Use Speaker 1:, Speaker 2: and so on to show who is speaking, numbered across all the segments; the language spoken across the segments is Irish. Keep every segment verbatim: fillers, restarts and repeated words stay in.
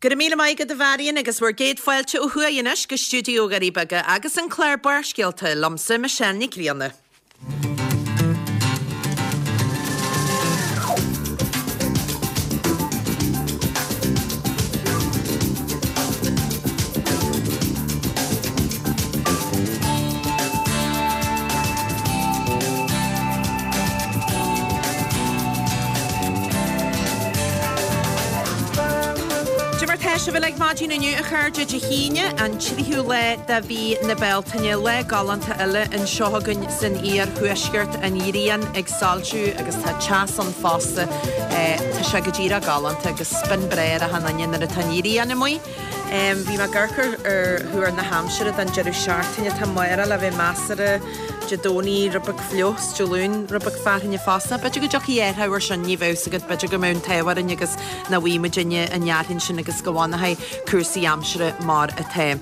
Speaker 1: Go raibh míle maith agat a Mharion agus bhur gcéad fáilte ó thuaidh anois go stiúideo Dhoirí Beaga agus an clár Barrscéalta liomsa Michelle Nic Grianna. Cad é mar tá sibh uilig maidin inniu a chairde Dé hAoine, an tríú lá de mhí na Bealtaine, lá galánta eile anseo againn san iarthuaisceart, an ghrian ag soilsiú agus tá teas ann fosta. Tá sé go díreach galánta agus spion breá ar achan duine nuair atá an ghrian amuigh. Bhí mé ag amharc ar thuar na haimsire don deireadh seachtaine. Tá amárach le bheith measartha, Dé Domhnaigh rud beag fliuch, 's Dé Luain rud beag fearthainne fosta. B'fhéidir go dtiocfaidh athrú air sin, ní bheadh fhios agat, b'fhéidir go mbeidh an t-ádh orainn agus nach bhfaighidh muidinne an fhearthainn sin agus go bhfanfaidh cúrsaí aimsire mar atá.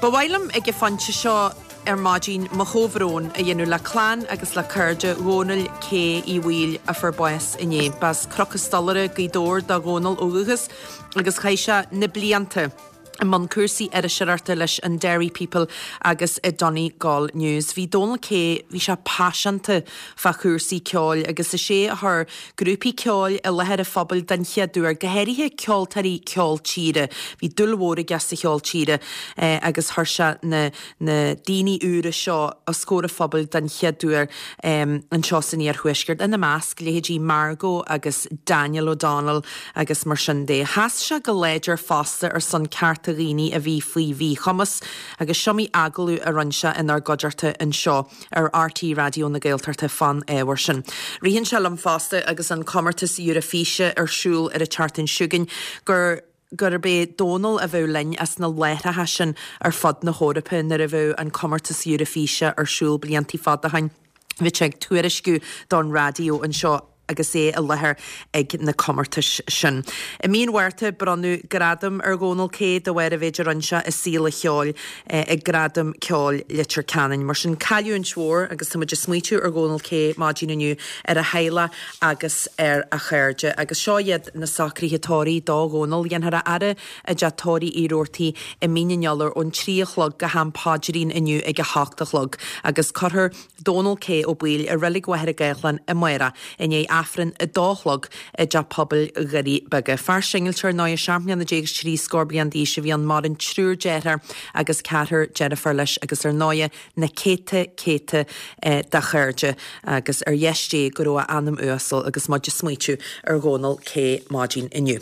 Speaker 1: Ba mhaith liom ag an phointe seo ar maidin mo chomhbhrón a dhéanamh le clann agus le cairde Dhónaill K Uí Bhaoill a fuair bás inné. B'as Cnoc an Stolaire, Gaoth Dobhair do Dhónall ó dhúchas agus chaith sé na blianta i mbun cúrsaí iriseoireachta leis an Derry People agus i Donegal News. Bhí Dónal K, bhí sé paiseanta fá chúrsaí ceoil agus is é a chuir grúpaí ceoil i láthair an phobail den chéad uair, go háirithe ceoltóirí ceol tíre. Bhí dúil mhór aige sa cheol tíre agus chuir sé na na daoine úra seo os comhair an phobail den chéad uair anseo san iarthuaisceart, ina measc leithéidí Margot agus Daniel O'Donnell agus mar sin de. Sheas sé go láidir fosta ar son cearta dhaoine a bhí faoi mhíchumas agus is iomaí agallamh a rinne sé inár gcuideachta anseo ar RTÉ Raidió na Gaeltachta fán ábhar sin. Ritheann sé liom fosta agus an comórtas Eurofíse ar siúl ar an tseachtain seo chugainn gur gurb é Dónal a bheadh linn as na láithreacha sin ar fud na hEorpa nuair a bheadh an comórtas Eurofíse ar siúl blianta fada ó shin. Bhí sé ag tuairisciú don raidió anseo agus é i láthair ag na comórtais sin. I mí an Mhárta bronnadh gradam ar Dhónal K de bharr an mhéid a rinne sé i saol an cheoil ag Gradaim Ceoil Leitir Ceanainn. Mar sin cailliúint mhór agus tá muid ag smaoitiú ar Dhónal K maidin inniu, ar a theaghlach agus ar a chairde. Agus seo iad na socruithe tórraimh do Dhónal. Dhéanfar a fhaire i dteach tórraimh Uí Rabhartaigh i Mín an Iolair ón trí a chlog go ham paidrín inniu ag a hocht a chlog agus cuirfear Dónal K Ó Baoill i Reilig Mhachaire Gathlán amárach i ndiaidh Aifreann a dó a chlog i dTeach Pobail Dhoirí Beaga. Fear singilte ar ndóigh, seacht mbliana déag is trí scór bliain d'aois a bhí ann, maireann triúr deartháir agus ceathrar deirfiúr leis agus ar ndóigh na céadta céadta de chairde agus ar dheis Dé go raibh a anam uasal agus muid ag smaoitiú ar Dhónal K maidin inniu.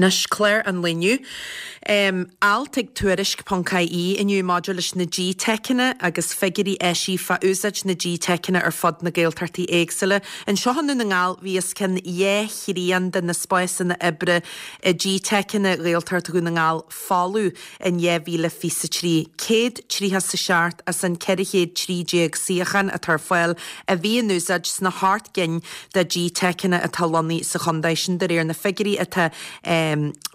Speaker 1: Anois, clár an lae inniu. Alt ag Tuairisc ponc IE inniu maidir leis na GTeiceanna agus figiúirí eisithe fá úsáid na GTeiceanna ar fud na Gaeltachtaí éagsúla. Anseo i nDún na nGall bhí os cionn dhá thrian de na spásanna oibre i GTeiceanna Ghaeltacht Dhún na nGall folamh in dhá mhíle fiche a trí. Céad tríocha 's a seacht as an ceithre chéad trí déag suíochán atá ar fáil a bhí in úsáid sna hocht gcinn de GTeiceanna atá lonnaithe sa chontae, sin de réir na figiúirí atá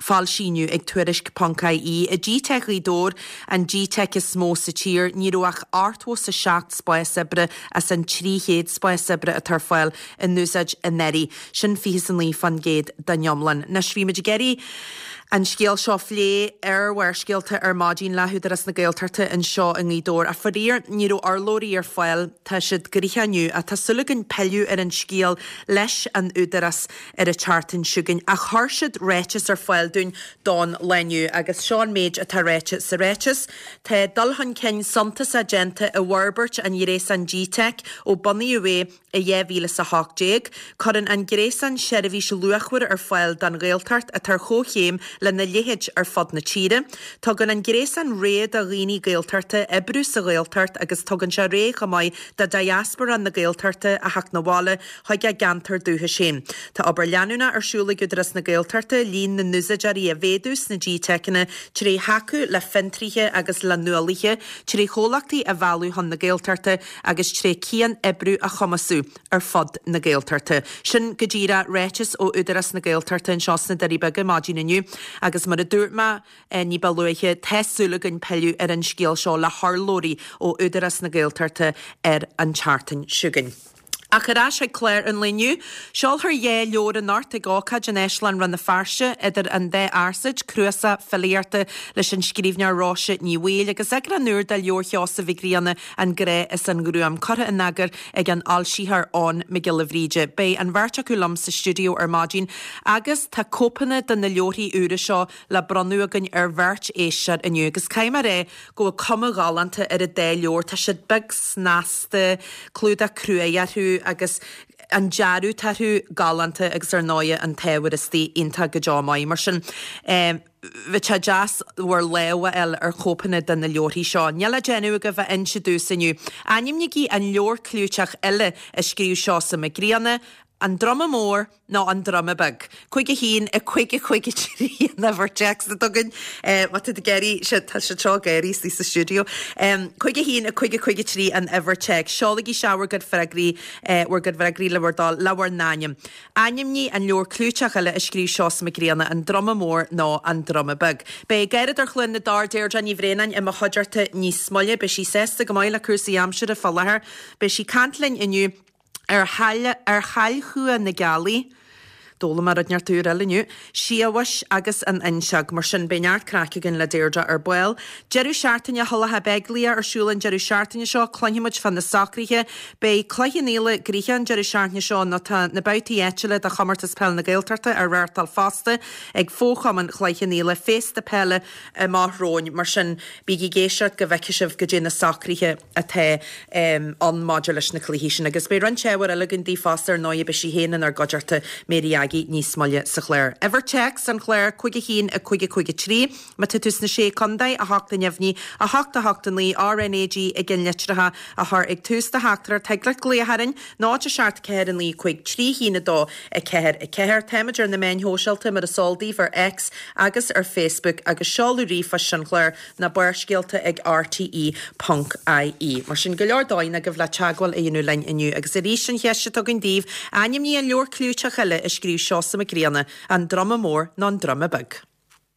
Speaker 1: foilsithe inniu ag Tuairisc ponc IE. I GTeic Ghaoth Dobhair, an GTeic is mó sa tír, ní raibh ach ochtó 's a seacht spás oibre as an trí chéad spás oibre atá ar fáil in úsáid anuraidh. Sin fiche 's a naoi fán gcéad den iomlán. Anois, bhí muid ag iarraidh an scéal seo a phlé ar Bharrscéalta ar maidin le hÚdarás na Gaeltachta anseo i nGaoth Dobhair ach faraor ní raibh urlabhraí ar fáil. Tá siad gnoitheach inniu ach tá súil againn pilleadh ar an scéal leis an Údarás ar an tseachtain seo chugainn ach chuir siad ráiteas ar fáil dúinn don lá inniu agus seo an méid atá ráite sa ráiteas, Tá dul chun cinn suntasach déanta i bhforbairt an ghréasáin GTeic ó bunaíodh é i dhá mhíle is a hocht déag. Cuireann an gréasán seirbhís luachmhar ar fáil don Ghaeltacht atá ar chomhchéim lena leithéid ar fud na tíre. Tugann an gréasán rogha do dhaoine Gaeltachta oibriú sa Ghaeltacht agus tugann sé rogha chomh maith do diaspora na Gaeltachta a theacht 'na bhaile chuig a gceantar dúchais féin. Tá obair leanúnach ar siúl ag Údarás na Gaeltachta líon na n-úsáideoirí a mhéadú sna GTeiceanna tré thacú le fiontraithe agus le nuálaithe, tré chomhlachtaí a mhealladh chun na Gaeltachta agus tré cian-oibriú a chumasú ar fud na Gaeltachta. Sin go díreach ráiteas ó Údarás na Gaeltachta anseo sna Doirí Beaga maidin inniu agus mar a dúirt mé ní ba luaithe, tá súil againn pilleadh ar an scéal seo le hurlabhraí ó Údarás na Gaeltachta ar an tseachtain seo chugainn. Ach ar ais ag clár an lae inniu, seolfar dhá leabhar anocht ag ócáid in Áislann Rann na Feirste idir an dá fhearsaid, cnuasach filíochta leis an scríbhneoir Róise Ní Bhaoill agus eagrán úr de leabhar Sheosaimh Mhic Grianna An Grá is an Ghruaim, curtha in eagar ag an fhoilsitheoir Eoin Mac Giolla Bhríde. Beidh an bheirt acu liom sa stiúideo ar maidin agus tá cóipeanna de na leabharthaí úra seo le bronnadh againn ar bheirt éisteoir inniu agus caithfidh mé a rá go bhfuil cuma ghalánta ar an dá leabhar, tá siad beag snasta, clúdach cruaidh orthu agus an dearadh atá orthu galánta agus ar ndóighe an t-ábhar istigh iontach go deo maith. Mar sin bheadh sé deas bhur lámh a fháil ar chóipeanna de na leabharthaí seo. Níl le déanamh agaibh ach inse domhsa inniu. Ainmnígí an leabhar clúiteach eile a scríobh Seosamh Mac Grianna, An Druma Mór nó An Druma Beag. Cúig a haon, a cúig a cúig a trí an uimhir téacs atá againn. Má tá tú ag iarraidh, tá siad seo ag gáirí istigh sa stiúideo. Cúig a haon, a cúig a cúig a trí an uimhir téacs. Seolaigí isteach bhur gcuid freagraí, bhur gcuid freagraí le bhur dtoil, le bhur n-ainm. Ainmnigh an leabhar clúiteach eile a scríobh Seosamh Mac Grianna, An Druma Mór nó An Druma Beag. Beidh gáireadóir Chluain na dTor, Deirdre Ní Bhraonáin, i mo chuideachta níos moille. Beidh sí sásta go maith le cúrsaí aimsire fá láthair. Beidh sí ag caint linn inniu. Ar ar shailchumha na gealaí, d'fhoghlaim mé rud inteacht úr eile inniu, siabhais agus an fhuinseog. Mar sin, beidh neart craic againn le Deirdre ar ball. Deireadh seachtaine Thulacha Beaglaoich ar siúl an deireadh seachtaine seo. Cluinfidh muid fá na socruithe. Beidh Cloich Cheann Fhaola gnoitheach an deireadh seachtaine seo nó tá na babhtaí áitiúla de Chomórtas Peile na Gaeltachta á reáchtáil fosta ag Fo-Chumann Chloich Cheann Fhaola, féasta peile amach romhainn. Mar sin, bígí ag éisteacht go bhfeicfidh sibh goidé na socruithe atá ann maidir leis na cluichí sin. Agus beidh roinnt ábhair eile againn daoibh fosta ar ndóigh, beidh sí féin inár gcuideachta, Mary Aggie, níos moille sa chlár. Uimhir téacs an chláir, cúig a haon, a cúig a cúig a trí. Má tá tú sna Sé Contae, a hocht a neamhní, a hocht a hocht a naoi, RnaG i gceannlitreacha a chur ag tús do theachtaireacht. Thig leat glaoch orainn, náid a seacht ceathair a naoi cúig trí haon a dó a ceathair a ceathair. Táimid ar na meáin shóisialta mar is eol daoibh ar X agus ar Facebook agus seoladh ríomhphoist an chláir ná Barrscéalta ag rte ponc ie. Mar sin, go leor dóigheanna agaibh le teagmháil a dhéanamh linn inniu. Agus arís an cheist atá againn daoibh, ainmnigh an leabhar clúiteach eile a scríobh Seosamh Mac Grianna, An Druma Mór nó An Druma Beag?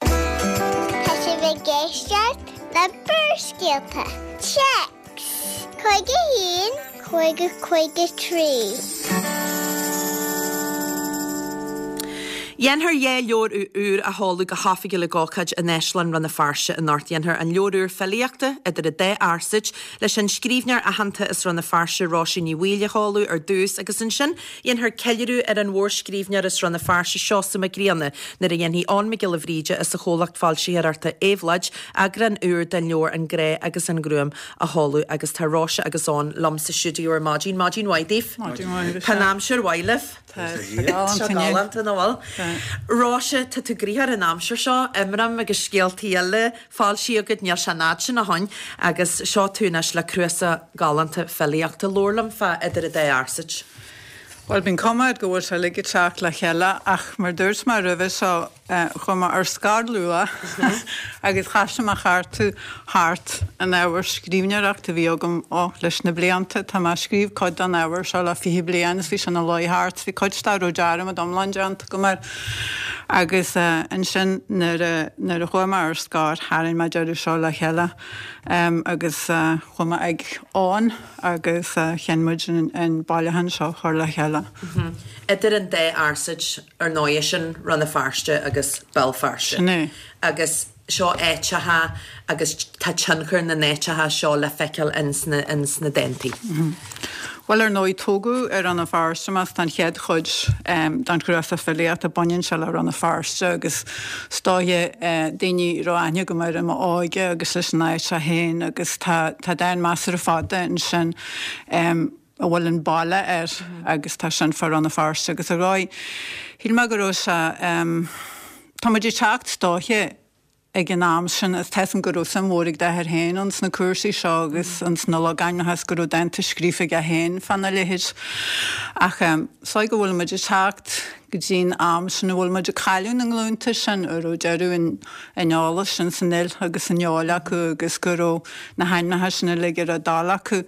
Speaker 2: Tá sibh ag éisteacht le Barrscéalta. Téacs cúig a haon, cúig a cúig a trí.
Speaker 1: Dhéanfar dhá leabhar úr a sheoladh go hoifigiúil ag ócáid in Áislann Rann na Feirste anocht. Dhéanfar an leabhar úr filíochta, Idir an Dá Fhearsaid, leis an scríbhneoir aitheanta as Rann na Feirste, Róise Ní Bhaoill a sheoladh ar dtús agus ansin dhéanfar ceiliúradh ar an mhórscríbhneoir as Rann na Feirste, Seosamh Mac Grianna, nuair a dhéanfaidh Eoin Mac Giolla Bhríde as an chomhlacht foilsitheoireachta Éabhlóid eagrán úr den leabhar An Grá agus an Ghruaim a sheoladh agus tá Róise agus Eoin liom sa stiúideo ar maidin. Maidin mhaith daoibh.
Speaker 3: Maidin mhaith.
Speaker 1: Tá an aimsir mhaith libh.
Speaker 3: Tá sé galánta
Speaker 1: inniu. Galánta, nach bhfuil? Róise, tá tú gnoitheach ar an aimsir seo, imram agus scéaltaí eile foilsithe agat, níl sé an fhad sin ó shoin, agus seo tú anois le cnuasach galánta filíochta. Labhair liom fá Idir an Dá Fhearsaid.
Speaker 3: Bhuel, bíonn cuma air go bhfuil sé uilig ag teacht le chéile ach mar dúirt mé roimhe seo, Chuaigh mé ar scor luath agus thoisigh mé a chartadh thart an ábhar scríbhneoireachta a bhí agam, ó, leis na blianta. Tá mé ag scríobh cuid den ábhar seo le fiche bliain is bhí sé ina luí thart, bhí cuid dá raibh dearmad iomlán déanta agam air. Agus ansin nuair a, nuair a chuaigh mé ar scor tharraing mé deireadh seo le chéile agus chuaigh mé ag Eoin agus chinn muid an bailiúchán seo a chur le chéile.
Speaker 1: Idir an dá fhearsaid. Ar ndóighe, sin Rann na Feirste agus Béal Feirste.
Speaker 3: Sin é.
Speaker 1: Agus seo áiteacha agus tá tionchar na n-áiteacha seo le feiceáil ins na, ins na dántaí.
Speaker 3: Bhuel, ar ndóigh, tógadh i Rann na Feirste mé, tá an chéad chuid den chnuasach filíochta, baineann sé le Rann na Feirste agus is dóiche daoine a raibh aithne agam air i m'óige agus leis an áit seo féin agus tá, tá dán measartha fada ansin. a bhfuil an baile air agus tá sin fá Rann na Feirste agus ar ndóigh shíl mé go raibh sé tá muid ag teacht is dóiche ag an am sin is tá 'fhios a'm go raibh suim mhór ag d'athair féin ins na cúrsaí seo agus ins na logainmneacha is go raibh dánta scríofa aige féin fána leithéid ach is dóigh go bhfuil muid ag teacht go dtí'n am sin a bhfuil muid ag cailleadh na nglúnta sin a raibh deireadh an an eolais sin san fhuil agus san fheoil acu agus go raibh na hainmneacha sin uilig ar a dtoil acu.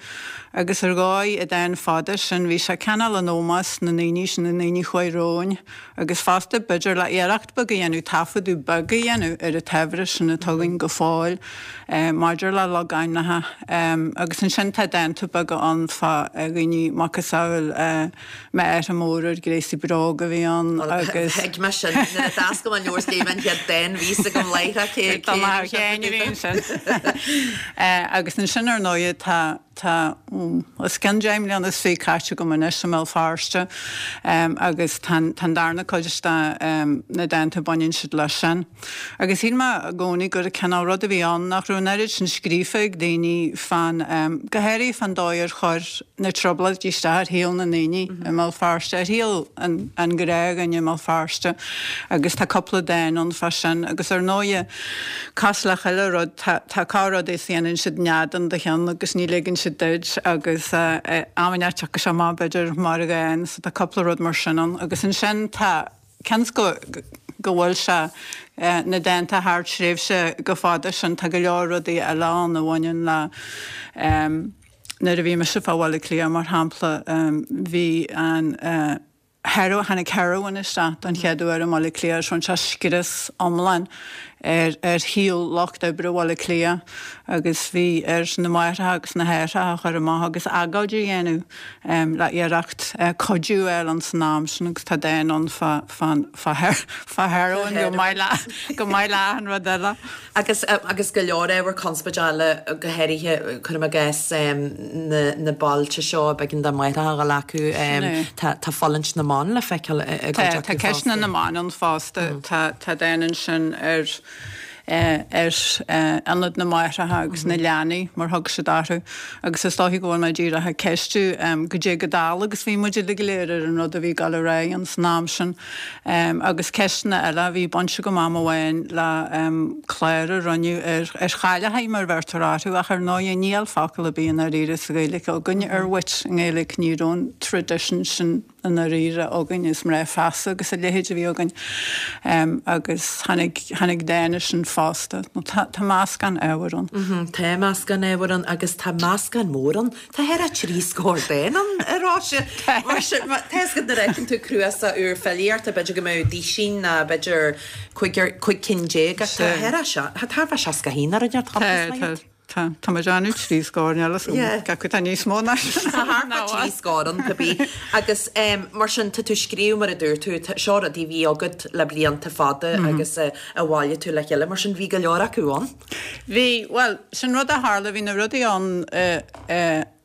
Speaker 3: Agus ar dhóigh i dán fada sin bhí sé cineál in ómós na ndaoine sin, na ndaoine a chuaigh romhainn agus fosta b'fhéidir le iarracht beag a dhéanamh, taifeadadh beag a dhéanamh ar an tsaibhreas sin atá againn go fóill maidir le logainmneacha. Agus ansin tá dánta beaga ann fá dhaoine macasamhail m'athair mór ar gréasaí bróg a bhí ann agus.
Speaker 1: Thuig mé sin nuair a d'oscail mé an leabhar is léigh mé an chéad dán bhí fhios agam láithreach cé
Speaker 3: cé raibh sé a bhí ansin. Agus ansin ar ndóighe tá tá os cionn deich mbliana is fiche caite agam anois i mBéal Feirste agus tá an darna cuid de na dánta baineann siad leis sin. Agus shíl mé i gcónaí gur cineál rud a bhí ann nach raibh an oiread sin scríofa ag daoine fán, go háirithe fán dóigh ar chuir na Trioblóidí isteach ar shaol na ndaoine i mBéal Feirste, ar shaol an ghnáthdhuine i mBéal Feirste agus tá cúpla dán ann fá sin. Agus ar ndóighe, cosúil le chuile rud, tá tá corr-rudaí is dhéanann siad nead in do cheann agus ní ligeann siad duit agus am inteacht tiocfaidh sé amach b'fhéidir mar dhán so tá cúpla rud mar sin ann. Agus ansin tá, cionn is go go bhfuil sé, na dánta thar tréimhse chomh fada sin, tá go leor rudaí eile ann a bhaineann le nuair a bhí mise fá Bhaile Átha Cliath mar shampla bhí an heroin, tháinig heroin isteach don chéad uair i mBaile Átha Cliath agus rinne sé scrios iomlán ar ar shaol lucht oibre Bhaile Átha Cliath agus bhí ar na máithreacha agus na haithreacha a chur amach agus agóid a dhéanamh le iarracht cuidiú a fháil ann san am sin agus tá dán ann fá fá fá fá heroin go maith le go maith le achan rud eile.
Speaker 1: Agus agus go leor ábhar conspóide eile go háirithe cuirim i gcás na na bailte seo b'éigean do mháithreacha a dhul acu tá tá fulaingt na mban le feiceáil i gcuid acu
Speaker 3: Tá ceisteanna na mban ann fosta tá tá dán ansin ar ar ionad na máithreacha agus na leanaí mar thug siad orthu agus is dóichí go bhfuil mé díreach ag ceistiú goidé chomh dall agus bhí muid uilig go léir ar an rud a bhí ag dul ar aghaidh ins an am sin agus ceisteanna eile bhí baint agam am amháin le clár a rinneadh ar ar chailleachaí mar bheirtear orthu ach ar ndóighe níl focal ar bith i ndáiríre sa Ghaeilge againn ar witch i nGaeilge ní raibh an tradition sin i ndáiríre againn, is mná feasa agus a leithéid a bhí againn agus tháinig, tháinig dán air sin fosta. Nó tá, tá meascán ábhair
Speaker 1: ann. Tá meascán ábhair ann agus tá meascán mór ann. Tá thar a trí scór dán ann, a Róise. Mar sin, tá fhios agat nuair a fheiceann tú cnuasach úr filíochta, b'fhéidir go mbeadh duisín ná b'fhéidir cúigear, cúig cinn déag ach tá thar a, tá thar a seasca a haon ar an Tá,
Speaker 3: tá. Tá, tá mé ag déanamh trí scór, níl fhios agam cé acu atá níos mó ná sin.
Speaker 1: Tá thart fá trí scór ann, cibé. Agus mar sin, tá tú ag scríobh, mar a dúirt tú, seo rudaí a bhí agat le blianta fada agus a bhailigh tú le chéile, mar sin bhí go leor acu ann.
Speaker 3: Bhí, bhuel, sin rud a tharla, bhí na rudaí ann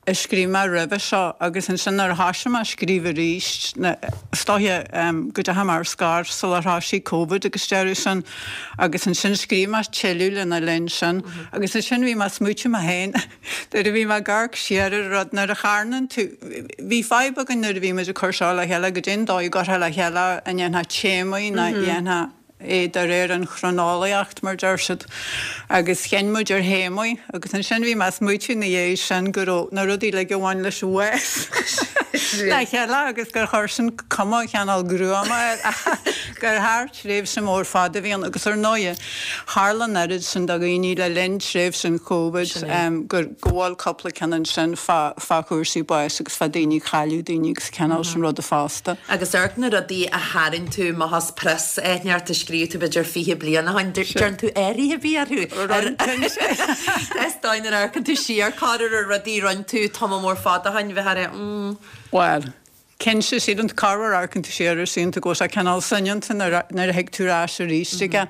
Speaker 3: a scríobh mé roimhe seo agus ansin nuair a thoisigh mé ag scríobh arís, is dóiche go dteachaigh mé ar scor sular thoisigh Covid agus deireadh sin agus ansin scríobh mé tuilleadh lena linn sin agus ansin bhí mé ag smaoitiú mé féin nuair a bhí mé ag amharc siar ar an rud nuair a charnann tú, bhí fadhb againn nuair a bhí muid ag cur seo le chéile goidé'n dóigh a gcuirfeá le chéile an ndéanfá téamaí nó dhéanfá é de réir an chroineolaíocht, mar deir siad, agus chinn muid ar théamaí agus ansin bhí mé ag smaoitiú ina dhiaidh sin go raibh na rudaí uilig a bhain leis an bhás le chéile agus gur chuir sin cuma chineál gruama air gur thar tréimhse mór fada a bhí ann agus ar ndóighe tharla an oiread sin do dhaoine le linn tréimhse an Covid gur go bhfuil cúpla ceann ansin fá fá chúrsaí báis agus fá daoine cailleadh daoine agus cineál sin ruda fosta.
Speaker 1: Agus amharc na rudaí a tharraing tú amach as prios éigineacht a scríobh tú b'fhéidir fiche bliain ó shin, déarfainn tú athruithe a bhí orthu. Is dóigh nuair a amharcann tú siar corruair ar rudaí a rinne tú tamall mór fada ó shin, bheith ar mm.
Speaker 3: Bhuel, cinnte, sílim corruair amharcann tú siar air síleann tú go bhfuil sé cineál soineanta nuair a thig tú ar ais arís aige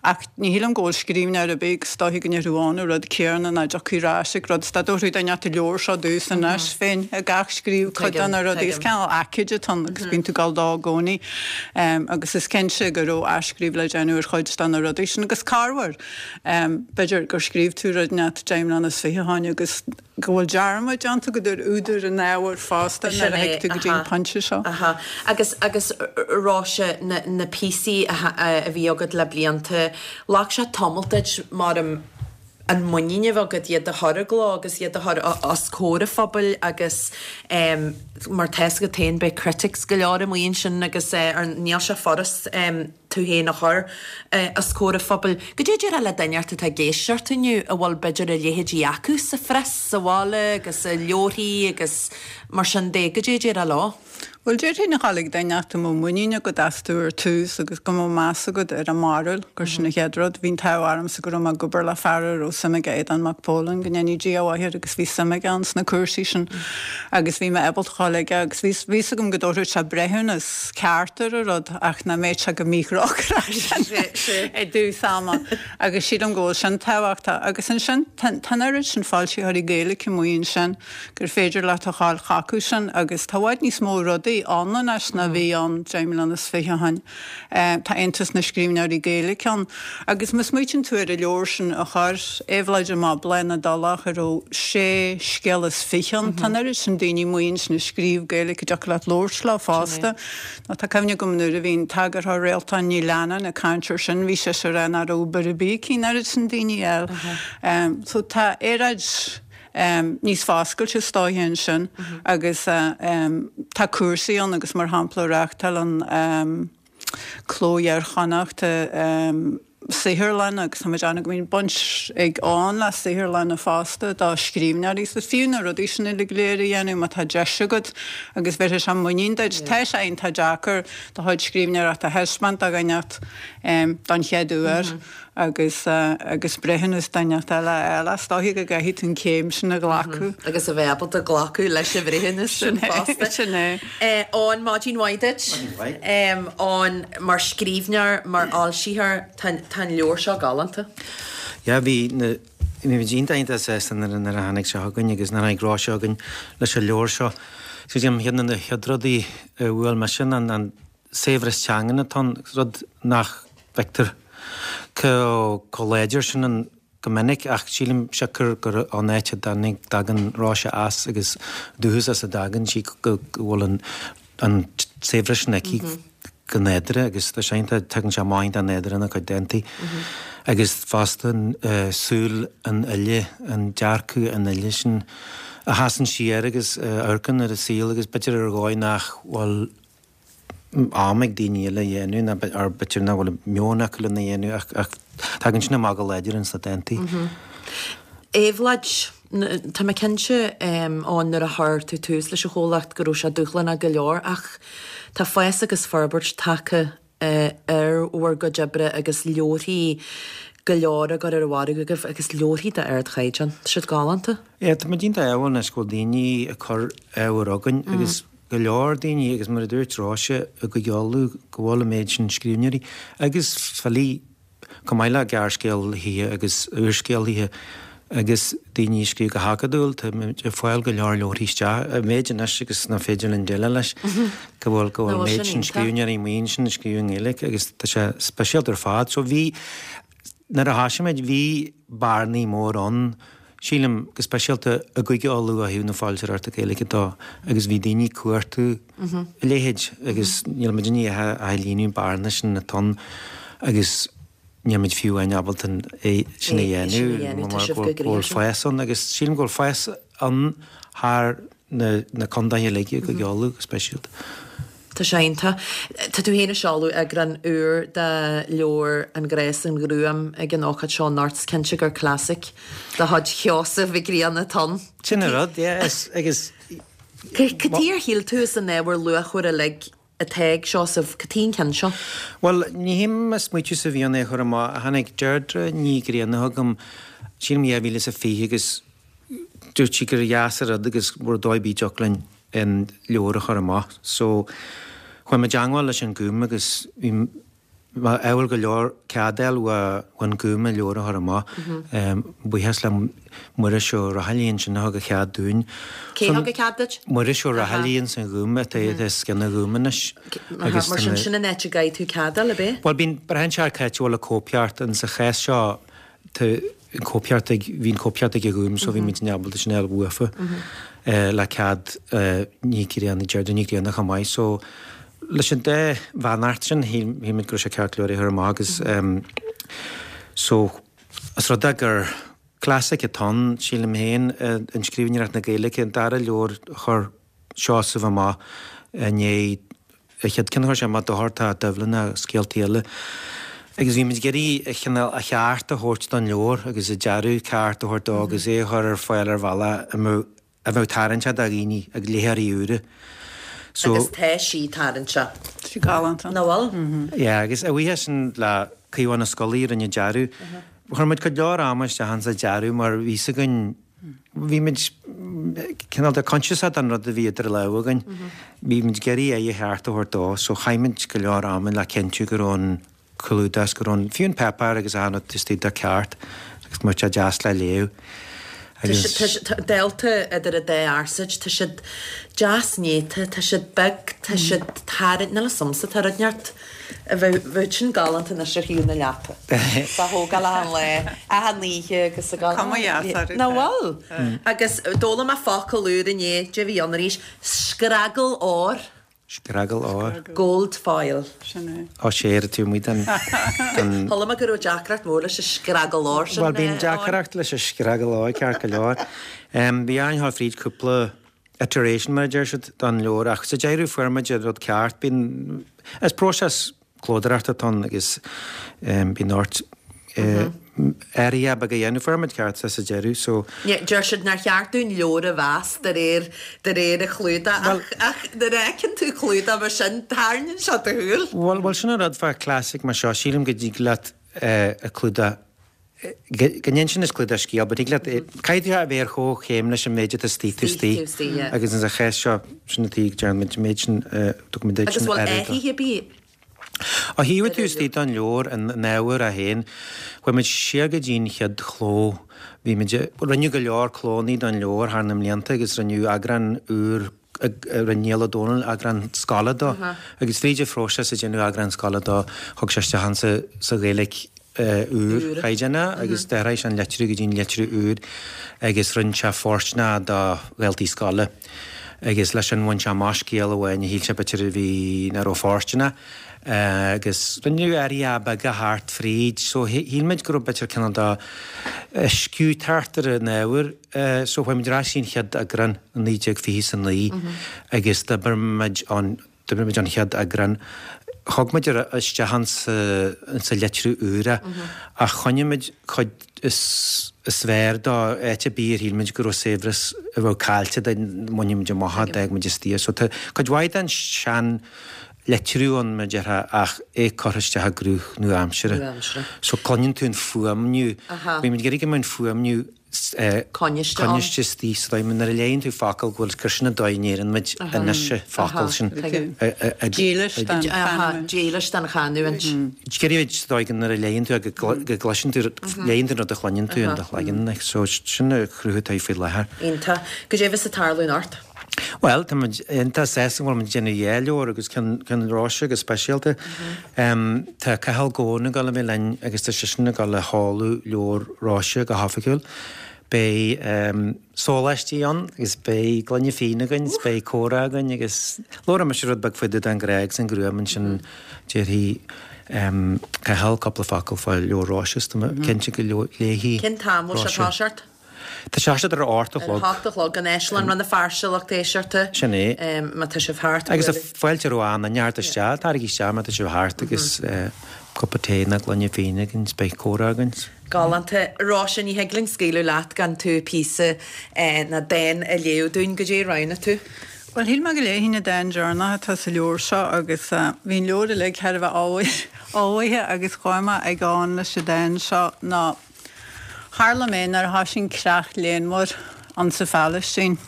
Speaker 3: ach ní shílim go bhfuil scríbhneoir ar bith agus is dóiche go ndéarfá an rud céanna nach dtiocfaidh ar ais ag rud is dá dtabharfaí duine an leabhar seo domhsa anois bheinn ag athscríobh cuid de na rudaí is cineál aicíd atá ann agus bíonn tú ag dul dó i gcónaí agus is cinnte go raibh athscríobh le déanamh ar chuid de na rudaí sin agus corruair b'fhéidir gur scríobh tú rud inteacht deich mbliana is fiche ó shin agus go bhfuil dearmad déanta agat ar údar an ábhair fosta
Speaker 1: Sin
Speaker 3: nuair a
Speaker 1: é,
Speaker 3: thig tú go dtí an
Speaker 1: aha,
Speaker 3: pointe seo.
Speaker 1: aha. Agus, agus Róise, na, na píosaí a, a bhí agat le blianta, ghlac sé tamall duit, mar an muinín a bheith agat iad a chur i gcló agus iad a chur os comhair an phobail agus mar tá fhios agat féin beidh critics go leor amuigh ansin agus níl sé furast tú féin a chur os comhair an phobail. Goidé a déarfá le duine inteacht atá ag éisteacht inniu a bhfuil b'fhéidir a leithéidí acu sa phreas sa bhaile agus i leabharthaí agus mar sin de, goidé a déarfá leo?
Speaker 3: Bhuel, déarfainn a dhul ag duine inteacht go mbeadh muinín agat astu ar tús agus go mbeadh meas agat ar a mbarúil, gur sin an chéad rud. Bhí an t-ádh ormsa go raibh mé ag obair le fear a raibh suim aige, Aodán Mac Póilin, go ndéanaí Dia a mhaith air, agus bhí suim aige ann sna cúrsaí sin agus bhí mé ábalta a dhul aige agus bhí bhí fhios agam go dtabharfadh sé breithiúnas ceart ar an rud ach nach mbeadh sé go míthrócaireach sin i dtús ama agus sílim go bhfuil sin tábhachtach. Agus ansin tá an oiread sin foilsitheoirí Gaeilge amuigh ansin gur féidir leat a dhul chucu sin agus tá i bhfad níos mó rudaí ann anois ná bhí ann deich mbliana is fiche ó shin. Tá Aontas na Scríbhneoirí Gaeilge ann agus má smaoitíonn tú ar an leabhar sin a chuir Éabhlóid amach, Bláth na dTulach, a raibh sé scéal is fiche ann, tá an oiread sin daoine amuigh ansin ag scríobh Gaeilge a dtiocfadh leat labhairt leo fosta. Nó tá cuimhne agam nuair a bhí an t-eagarthóir Réaltán Ní Leannáin ag caint air sin, bhí sise ag rá nach raibh obair ar bith aici an oiread sin daoine a fháil. So tá aeráid níos foscailte is dóiche ansin agus tá cúrsaí ann agus mar shampla reáchtálann Cló Iar-Chonnachta saotharlann agus tá muid ann go mbíonn baint ag Eoin le saotharlanna fosta do scríbhneoirí so fiú na rudaí sin uilig go léir a dhéanamh má tá deis agat agus bhéarfaidh sé muinín duit. Tá sé iontach deacair do chuid scríbhneoireachta a thaispeáint do dhuine inteacht don chéad uair agus agus breithiúnas duine inteacht eile a fháil. Is dóiche go gcaithfidh tú an chéim sin a ghlacadh.
Speaker 1: Agus a bheith ábalta glacadh leis an bhreithiúnas sin fosta.
Speaker 3: Sin é.
Speaker 1: Eoin, maidin mhaith duit.
Speaker 4: Maidin mhaith.
Speaker 1: Eoin, mar scríbhneoir, mar fhoilsitheoir, tá tá an leabhar seo galánta.
Speaker 4: Yeah, bhí na bhí muid iontach iontach sásta nuair nuair a tháinig sé chugainn agus nuair a tháinig Róise chugainn leis an leabhar seo. So ceann de na chéad rudaí a bhuail mise ná an saibhreas teangan atá ann, rud nach bhfeictear chomh láidir sin ann go minic ach sílim siocair gur ón áit a dtagann Róise as agus dúchas as a dtagann sí go bhfuil an an saibhreas sin aici go nádúrtha agus tá sé iontach, tagann sé amach iontach nádúrtha ina cuid dántaí agus fosta súil an fhile, an dearcadh an fhile sin a sheasann siar agus a amharcann ar an saol agus b'fhéidir ar dhóigh nach bhfuil am ag daoine eile a dhéanamh ná or b'fhéidir nach bhfuil meon acu lena dhéanamh ach ach tagann sin amach go láidir ins na dántaí.
Speaker 1: Éabhlóid, Tá mé cinnte Eoin nuair a chuir tú tús leis an chomhlacht go raibh sé dúshlánach go leor ach tá fás agus forbairt tagtha ar bhur gcuid oibre agus leabharthaí go leor á gcur ar an mhargadh agaibh agus leabharthaí d'ardchaighdeán. Tá siad galánta.
Speaker 4: Yeah, tá muid iontach ádhúil anois go bhfuil daoine ag cur ábhar chugainn agus go leor daoine agus mar a dúirt Róise i gCúige Uladh go bhfuil an méid sin scríbhneoirí agus filí chomh maith le gearrscéalaithe agus úrscéalaithe agus daoine ag scríobh go hacadúil, tá muid ag fáil go leor leabharthaí isteach, an méid anois agus nach féidir linn déileáil leis go bhfuil go bhfuil an méid sin scríbhneoirí amuigh ansin ag scríobh i nGaeilge agus tá sé speisialta ar fad. So bhí, nuair a thosaigh muid, bhí bearnaí mór ann sílim, go speisialta i gCúige Uladh ó thaobh na foilsitheoireachta Gaeilge de agus bhí daoine ag cuartú a leithéid agus níl muid i ndiaidh a líonadh an bearna sin atá ann agus níl muid fiú amháin ábalta é sin a dhéanamh mar go bhfuil fás ann agus sílim go bhfuil fás ann thar na contaetha uilig i gCúige Uladh go speisialta.
Speaker 1: Tá sé iontach. Tá tú féin ag seoladh eagrán úr de leabhar An Grá is an Ghruaim ag an ócáid seo anocht. Is cinnte gur classic de chuid Sheosaimh Mhic Grianna atá ann.
Speaker 4: Sin an rud, yeah, is, agus.
Speaker 1: Cad chuige ar shíl tú as an ábhar luachmhar uilig atá ag Seosamh, cad chuige an ceann seo?
Speaker 4: Bhuel, ní hé mo smaoitiúsa a bhí ann é a chur amach. Tháinig Deirdre Ní Ghrianna chugam, sílim dhá mhíle is a fiche agus dúirt sí gur dheas an rud agus go raibh dóigh ar bith a dtiocfadh linn an leabhar a chur amach. So, chuaigh mé i dteangmháil leis an Gúm agus bhí mé ádhúil go leor cead a fháil ón Gúm an leabhar a chur amach. Buíochas le Muiris Ó Raghallaigh ansin a thug a chead dúinn.
Speaker 1: Cé thug a cead duit?
Speaker 4: Muiris Ó Raghallaigh ins an Ghúm, atá os cionn an Ghúim anois.
Speaker 1: Agus mar sin, sin an áit a gcaithfidh tú cead a fháil, ab é?
Speaker 4: Bhuel, bíonn, braitheann sé ar cá háit a bhfuil an cóipcheart, and sa chás seo, tá an cóipcheart ag, bhí an cóipcheart ag an Ghúm so bhí muid ábalta sin a fháil uafa le cead Ní Ghrianna, Deirdre Ní Ghrianna chomh maith. So leis an dá bheannacht sin shíl muid go raibh sé ceart leabhar a chur amach agus so is rud é gur Classic atá ann, sílim féin, in scríbhneoireacht na Gaeilge, an dara leabhar a chuir Seosamh amach i ndiaidh a chéad ceann a chuir sé amach, Dochartach Doibhlin agus Scéaltaí Eile. Agus bhí muid ag iarraidh a chineál a cheart a thabhairt don leabhar agus a dearadh ceart a thabhairt dó agus é a chur ar fáil ar bhealach a mbeadh a bheadh tarraingteach do dhaoine, ag léitheoirí úra.
Speaker 1: So, Agus tá sí tarraingteach.
Speaker 3: Tá sí galánta.
Speaker 1: Nach bhfuil?
Speaker 4: Yeah, agus a bhuíochas sin le Caomhán Ó Scolaí a rinne an dearadh. Chuir muid cuid leor ama isteach insa dearadh mar bhí 'fhios againn, bhí muid cineál de coinsiasach den rud a bhí idir lámha againn. Bhí muid ag iarraidh aghaidh cheart a thabhairt dó so chaith muid go leor ama le cinntiú go raibh an clúdach, go raibh an, fiú an páipéar agus achan rud istigh de ceart agus go mbeadh sé deas le léamh.
Speaker 1: Tá siad dálta idir an dá fhearsaid, tá siad deas néata, tá siad beag, tá siad tarraingteach, níl 'fhios a'msa, tá rud inteacht a bheadh, bheadh sin galánta anois ar thaobh na leapa. Dá thógáil achan lá, achan oíche agus ag
Speaker 3: Cuma dheas orthu.
Speaker 1: Nach bhfuil? Agus d'fhoghlaim mé focal úr inné, cad é a bhí ann arís, scragall óir.
Speaker 4: Scragall óir.
Speaker 1: Gold foil.
Speaker 3: Sin é.
Speaker 4: Ó sé, ar tú amuigh den.
Speaker 1: Chuala mé go raibh deacracht mhór leis an scragall óir sin.
Speaker 4: Bhuel, bíonn deacracht leis an scragall óir, ceart go leor. Bhí orainn a ghabháil fríd cúpla iteration, mar a deir siad, don leabhar ach sa deireadh fuair muid an rud ceart. Bíonn, is próiseas clódóireachta atá ann agus bíonn ort athruithe beaga a dhéanamh. Fuair muid ceart sa deireadh so.
Speaker 1: Deir siad nár cheart dúinn leabhar a mheas de réir de réir a chlúdach ach ach nuair a fheiceann tú clúdach mar sin tarraingíonn sé do shúil.
Speaker 4: Bhuel bhuel sin an rud fá classic mar seo, sílim go dtig leat a clúdach go n-inseann an clúdach scéal but thig leat caithfidh tú a bheith ar chomhchéim leis an méid atá istigh taobh istigh agus in sa chás seo sin an tuige go ndearna muid an méid sin tugann muid duit
Speaker 1: Agus bhfuil athruithe ar bith
Speaker 4: Ó thaobh taobh istigh den leabhar, an ábhar é féin, chuaigh muid siar go dtí'n chéad chló. Bhí muid, rinneadh go leor clónnaí don leabhar thar na mblianta agus rinneadh eagrán úr, rinne Niall Ó Dónaill eagrán scoile dó agus fríd an phróiseas ag déanamh eagrán scoile dó, thug sé isteach ansa sa Ghaeilge úr chaighdeánach agus d'athraigh sé an litriú go dtí'n litriú úr agus rinne sé fóirsteanach do dhaltaí scoile agus leis sin bhain sé amach scéal amháin a shíl sé b'fhéidir a bhí nach raibh fóirsteanach agus rinneadh athruithe beaga thart fríd so shíl muid go raibh b'fhéidir cineál de sciú thart ar an ábhar so chuaigh muid ar ais an chéad eagrán i naoi déag fiche is a naoi agus d'oibir muid an D'oibrigh muid an chéad eagrán. Thug muid isteach insa litriú úr é ach choinnigh muid cuid is fearr dó, áit ar bith ar shíl muid go raibh saibhreas a bheadh caillte dá mbainfeadh muid amach é, d'fhág muid istigh é. So tá cuid mhaith den sean litriú ann, mar a déarfá, ach é curtha isteach i gcruth nua-aimseartha. So cluineann tú an fuaimniú. Bhí muid ag iarraidh go mbeadh an fuaimniú coinniste istigh sa dóigh nuair a léann tú focal go bhfuil gur sin an dóigh a ndeireann muid anois an focal sin.
Speaker 3: Dílis don
Speaker 1: chanúint. Dílis don chanúint.
Speaker 4: Iarraidh sa dóigh go nuair a léann tú go gcloiseann tú, léann tú an rud a chluineann tú in do chloigeann. So sin an cruth atá faoi láthair.
Speaker 1: Iontach. Goidé bheas ag tarlú anocht?
Speaker 4: Bhuel, tá muid iontach sásta go bhfuil muid ag déanamh dhá leabhar agus ceann Róise go speisialta. Tá Cathal Goan ag dul a bheith linn agus tá seisean ag dul a sheoladh leabhar Róise go hoifigiúil. Beidh sóláistí ann agus beidh gloine fíona againn is beidh comhrá againn agus labhróidh mise rud beag faoi den ghrá agus an ghruaim ansin déarfaidh Cathal cúpla focal fá leabhar Róise is tá mé cinnte go léifidh
Speaker 1: Cén t-am a bhfuil sé ag toiseacht?
Speaker 4: Tá sé ar a hocht a
Speaker 1: Ar a
Speaker 4: chlog.
Speaker 1: hocht a chlog in Áislann Rann na Feirste lucht éisteachta.
Speaker 4: Sin é.
Speaker 1: Má tá sibh thart.
Speaker 4: Agus tá fáilte roimh achan duine theacht isteach, taraigí isteach má tá sibh thart agus cupa tae nó gloine fíona againn is beidh comhrá againn.
Speaker 1: Galánta. Róise, ní thig linn scaoileadh leat gan tú píosa nó dán a léamh dúinn. Goidé a roghnaigh tú?
Speaker 3: Bhuel, shíl mé go léifinn an dán deireanach atá sa leabhar seo agus bhí an leabhar uilig thar a bheith ullmhaithe agus chuaigh mé ag gabháil leis an dán seo ná Tharla mé nuair a thoisigh an creach léanmhar ann sa Phalaistín.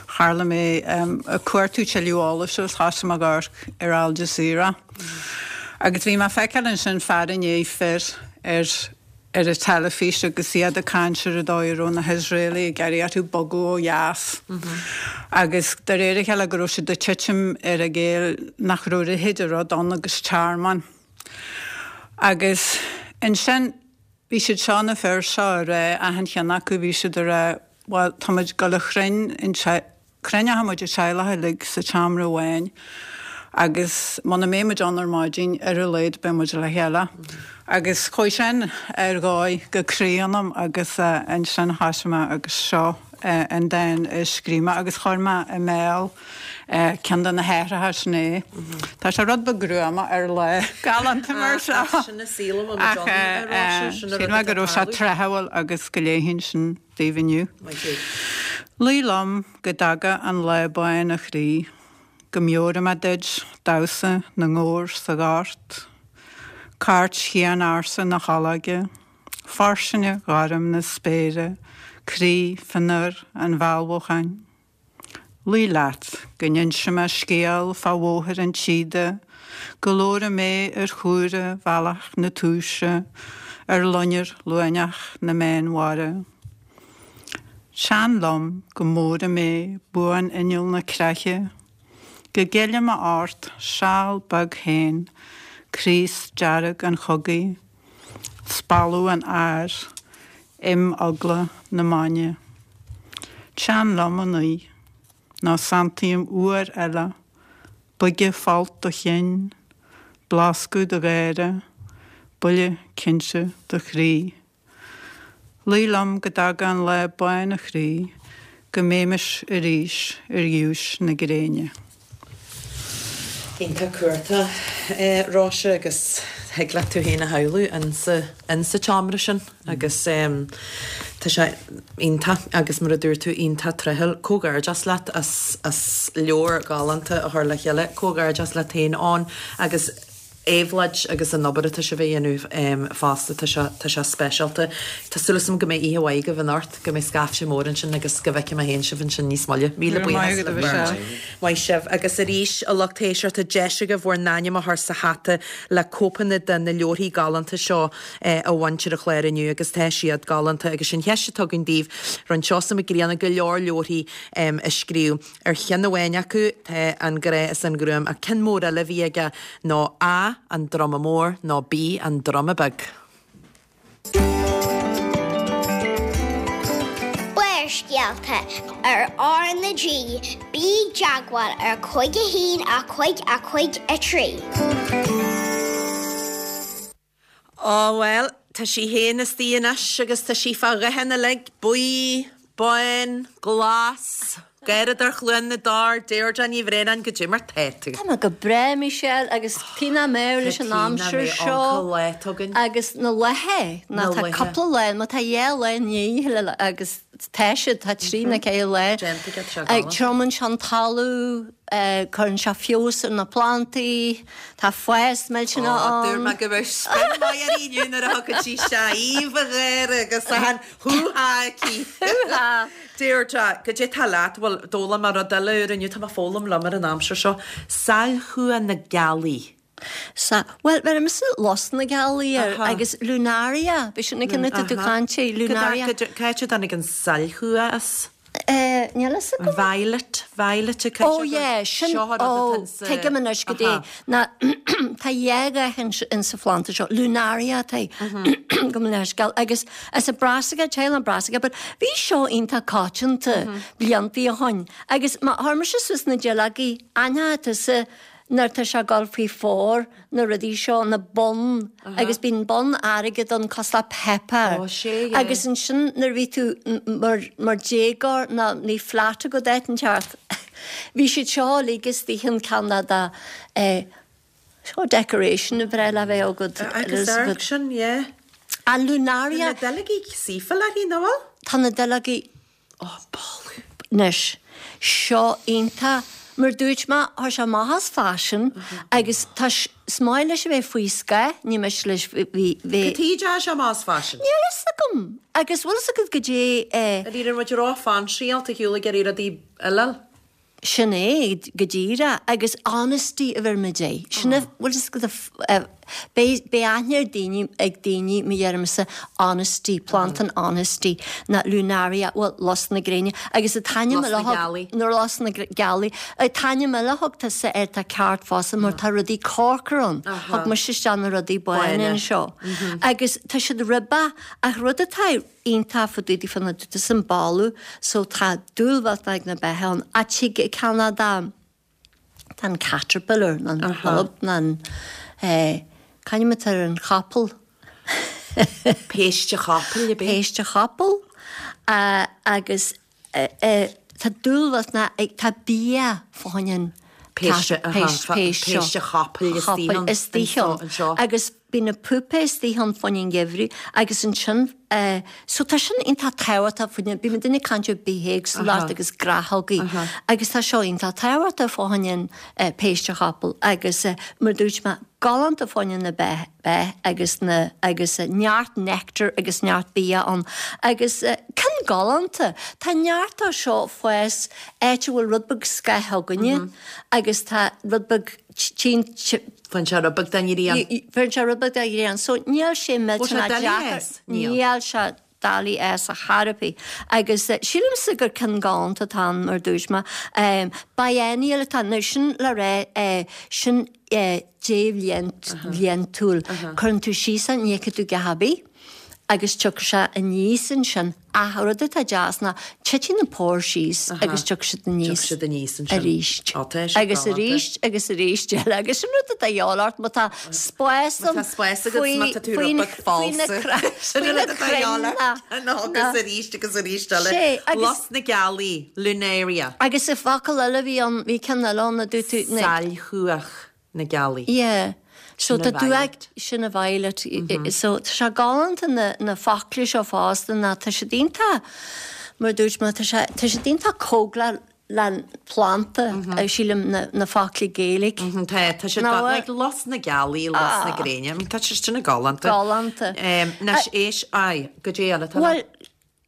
Speaker 3: Tharla mé ag cuartú tuilleadh eolais agus thosaigh mé ag amharc ar Al Jazeera. Agus bhí mé ag feiceáil ansin fear i ndiaidh fir ar ar an teilifís agus iad ag caint ar an dóigh a raibh na hIosraelaigh ag iarraidh orthu bogadh ó dheas. Agus de réir a chéile go raibh siad ag titim ar a gcéill nach raibh a leithéid de rud ann agus tearmann. Agus ansin Bhí siad seo, na fir seo, ag rá, achan cheann acu, bhí siad ag rá, bhuel, tá muid ag dul a chruinn, cruinneoidh muid an teaghlach uilig sa tseomra amháin Agus muna mbeidh muid ann ar maidin ar a laghad beidh muid le chéile. Agus chuaigh sin ar dhóigh go croí ionam agus ansin thoisigh mé agus seo an dán a scríobh mé agus chuir mé i mbéal ceann de na haithreacha sin é. Tá sé rud beag gruama ar lá galánta mar seo. Ach shíl mé go raibh sé tráthúil agus go léifinn sin daoibh inniu. Luigh liom go dtaga an lá bán a chroí. Go meabhraí mé duit damhsa na ngabhar sa ghort, cairt chian-ársa na hOlóige, fairsinge ghorm na spéire, croí fionnuar an bhalbhúcháin. Luigh leat go n-inse mé scéal fá Bhóthar an tSíoda, go labhra mé ar chuaire Bhealach na Túise, ar loinnir luaineach na Meánmhara. Teann liom go mbóthra mé buan-inneall na creiche, go gceile mé ort seal beag féin craos dearg an chogaidh, spalpadh an áir, im eagla na mainne. Teann liom anois ná santaím uair eile boige folt do chinn, bloscadh do gháire, buille cinnte do chroí. Luigh liom go dtaga an lá bán a chroí, go mbeimis arís ar ghiúis na gréine.
Speaker 1: Iontach cumhachtach, Róise, agus thig leat tú féin a shamhlú insa tseomra sin agus tá sé iontach agus mar a dúirt tú iontach tráthúil. Comhghairdeas leat as as leabhar galánta a chur le chéile. Comhghairdeas leat féin ann agus Éabhlóid agus an obair atá sibh a dhéanamh fosta, tá sé, tá sé speisialta. Tá súil agam go mbeidh oíche mhaith agaibh anocht, go mbeidh scaifte mór ansin agus go bhfeicfidh mé féin sibh ansin níos moille. Míle buíochas libh beirt. Maith sibh. Agus arís, a lucht éisteachta, deis agaibh bhur n-ainm a chur sa hata le cóipeanna de na leabharthaí galánta seo a bhaint ar an chlár inniu agus tá siad galánta agus sin cheist atá againn daoibh. Rinne Seosamh Mac Grianna go leor leabharthaí a scríobh. Ar cheann amháin acu tá An Grá is an Ghruaim ach ceann mór eile a bhí aige ná A, An Druma Mór nó B, An Druma Beag.
Speaker 2: Barrscéalta ar R na G, bí i dteagmháil ar cúig a haon a cúig a cúig a trí.
Speaker 1: Á bhuel, tá sí féin istigh anois agus tá sí fá dhathanna uilig, buí, bán, glas, Gáireadóir Chluain na dTor, Deirdre Ní Bhraonáin, goidé mar tá tú?
Speaker 5: Tá mé go breá, Michelle, agus cé nach mbeadh leis an aimsir seo agus na laethe, ná tá cúpla lá, má tá dhá lá i ndiaidh agus tá siad, tá trí nó ceithre lá, triomaíonn sé an talamh, Cuireann sé feabhas ar na plantaí, tá fás millteanach ann.
Speaker 1: Dúirt mé go mbeadh spion maith uirthi inniu nuair a thiocfadh sí isteach, aoibh a gháire agus achan hú-há aici.
Speaker 5: Hú-há!
Speaker 1: Deirdre, goidé tá leat? Bhuel, d'fhoghlaim mé rud eile úr inniu, tá mé ag foghlaim liom ar an aimsir seo. Sailchumha na gealaí.
Speaker 5: Sa, bhuel, bheir mise lus na gealaí air agus Lunaria, b'shin an ceann atá tú ag caint air, Lunaria.
Speaker 1: Cá háit a dtáinig an sailchumha as?
Speaker 5: Eh, níl fhios agam.
Speaker 1: Violet, Violet a
Speaker 5: Oh yeah, sin, oh, tuigim anois goidé. Ná, tá dhá dhath in sa phlanda seo, Lunaria atá, gabh mo leithscéal, agus as an Brassica, teaghlach Brassica, but bhí seo iontach coitianta bliantaí ó shoin, agus má chuir mise suas na duilleogaí, aithneoidh tusa nuair atá sé ag dul faoi fómhar, na rudaí seo, na bonn, agus bíonn bonn airgid ann cosúil le pepper.
Speaker 1: Ó, sea, yeah.
Speaker 5: Agus ansin nuair a bhí tú mar, mar déagóir ná ní flat agat áit inteacht, bhí siad seo uilig istigh in Ceanada, eh, seo decoration a breá le bheith agat.
Speaker 1: Agus amharc sin, yeah.
Speaker 5: An Lunaria.
Speaker 1: Tá na duilleogaí saofa léi, nach bhfuil?
Speaker 5: Tá na duilleogaí.
Speaker 1: Ó, boladh.
Speaker 5: Anois, seo iontach. Mar dúirt mé, tá sé amach as faisean agus tá, is maith leis a bheith faoi scáth, ní miste leis bheith.
Speaker 1: Cad chuige a dteachaidh sé amach as faisean?
Speaker 5: Níl fhios agam. Agus bhfuil fhios agat goidé eh.
Speaker 1: An raibh muid ró-fhainseáilte ar shiúl ag iarraidh rudaí eile?
Speaker 5: Sin é, go díreach. Agus honesty a bheir muid é. Sin é, bhfuil fhios agat, beidh, beidh aithne ar daoine, ag daoine, má dheirimse honesty, planda an honesty, ná lunaria, bhuel, lus na gréine. Agus an t-ainm
Speaker 1: Lus na
Speaker 5: eile a thug,
Speaker 1: gealaí.
Speaker 5: nó lus na gealaí. An t-ainm eile a thug tusa air tá ceart fosta mar tá rudaí corcra ann.
Speaker 1: Aha.
Speaker 5: Thug mise isteach na rudaí bána
Speaker 1: Bána.
Speaker 5: anseo. Agus tá siad ribeach ach rud atá iontach fá dtaobh daofa ná dúirt an boladh so tá dúil mhillteanach ag na beithe ann. Ach tig i gCeanada Tá an caterpillar ná an bhulb ná an c'ainm atá ar an chapall.
Speaker 1: Péiste chapaill, ab é?
Speaker 5: Péiste chapaill agus tá dúil ná tá bia fá choinne an
Speaker 1: Péiste, péiste chapaill
Speaker 5: istigh anseo. Agus bíonn na pupae istigh ann fá choinne an gheimhridh agus ansin so tá sin iontach tábhachtach fá choinne, bíonn muidinne ag caint ar bithéagsúlacht agus gnáthógaí agus tá seo iontach tábhachtach fá choinne an péiste chapaill agus mar dúirt mé galánta fá choinne na beith agus na agus neart nectar agus neart bia ann agus ceann galánta. Tá neart dó seo fás áit a bhfuil rud beag scáth againne agus tá rud beag tinn
Speaker 1: Faigheann sé rud beag den ghrian.
Speaker 5: Faigheann sé rud beag den ghrian. So níl sé millteanach deacair. Níl sé doiligh é fhás ar chor ar bith. Agus sílimse gur ceann galánta atá ann mar dúirt mé. Biennial atá ann. Now sin le rá sin débhliantúil. Cuireann tú síos é, ní fheicfidh tú a dhath ar bith agus tiocfaidh sé aníos ansin. Ach an rud atá deas ná titeann na púir síos agus tiocfaidh siad aníos
Speaker 1: Tiocfaidh siad aníos ansin.
Speaker 5: arís.
Speaker 1: Ó, tá sé
Speaker 5: Agus
Speaker 1: galánta.
Speaker 5: arís agus arís eile. Agus sin rud atá de dhíobháil ort má tá spás
Speaker 1: Má
Speaker 5: ann
Speaker 1: tá spás agat
Speaker 5: faoi
Speaker 1: má tá tú
Speaker 5: faoi
Speaker 1: rud beag
Speaker 5: faoi na
Speaker 1: falsa.
Speaker 5: cra-
Speaker 1: Sin
Speaker 5: faoi
Speaker 1: an
Speaker 5: na
Speaker 1: rud atá de dhíobháil ort.
Speaker 5: crainn
Speaker 1: Nó agus arís agus arís eile.
Speaker 5: Sé, agus-
Speaker 1: Lus na gealaí, Lunaria.
Speaker 5: Agus i bhfocal eile bhí ann, bhí ceann eile ann a dúirt tú na-
Speaker 1: Sailchuach na gealaí.
Speaker 5: Yeah. So
Speaker 1: Sin a
Speaker 5: tá tú ag
Speaker 1: violet.
Speaker 5: sin a violet. So tá sé galánta na, na focla seo fosta ná tá siad iontach mar dúirt mé tá sé tá siad iontach cóngarach le planta sílim na, na focla Gaeilge.
Speaker 1: Mhm, Tá tá siad
Speaker 5: Nó,
Speaker 1: ga- like lus na gealaí, lus na gréine. I mean, tá sé sin galánta.
Speaker 5: Galánta.
Speaker 1: Um, Anois éis ai, goidé eile tá
Speaker 5: Well,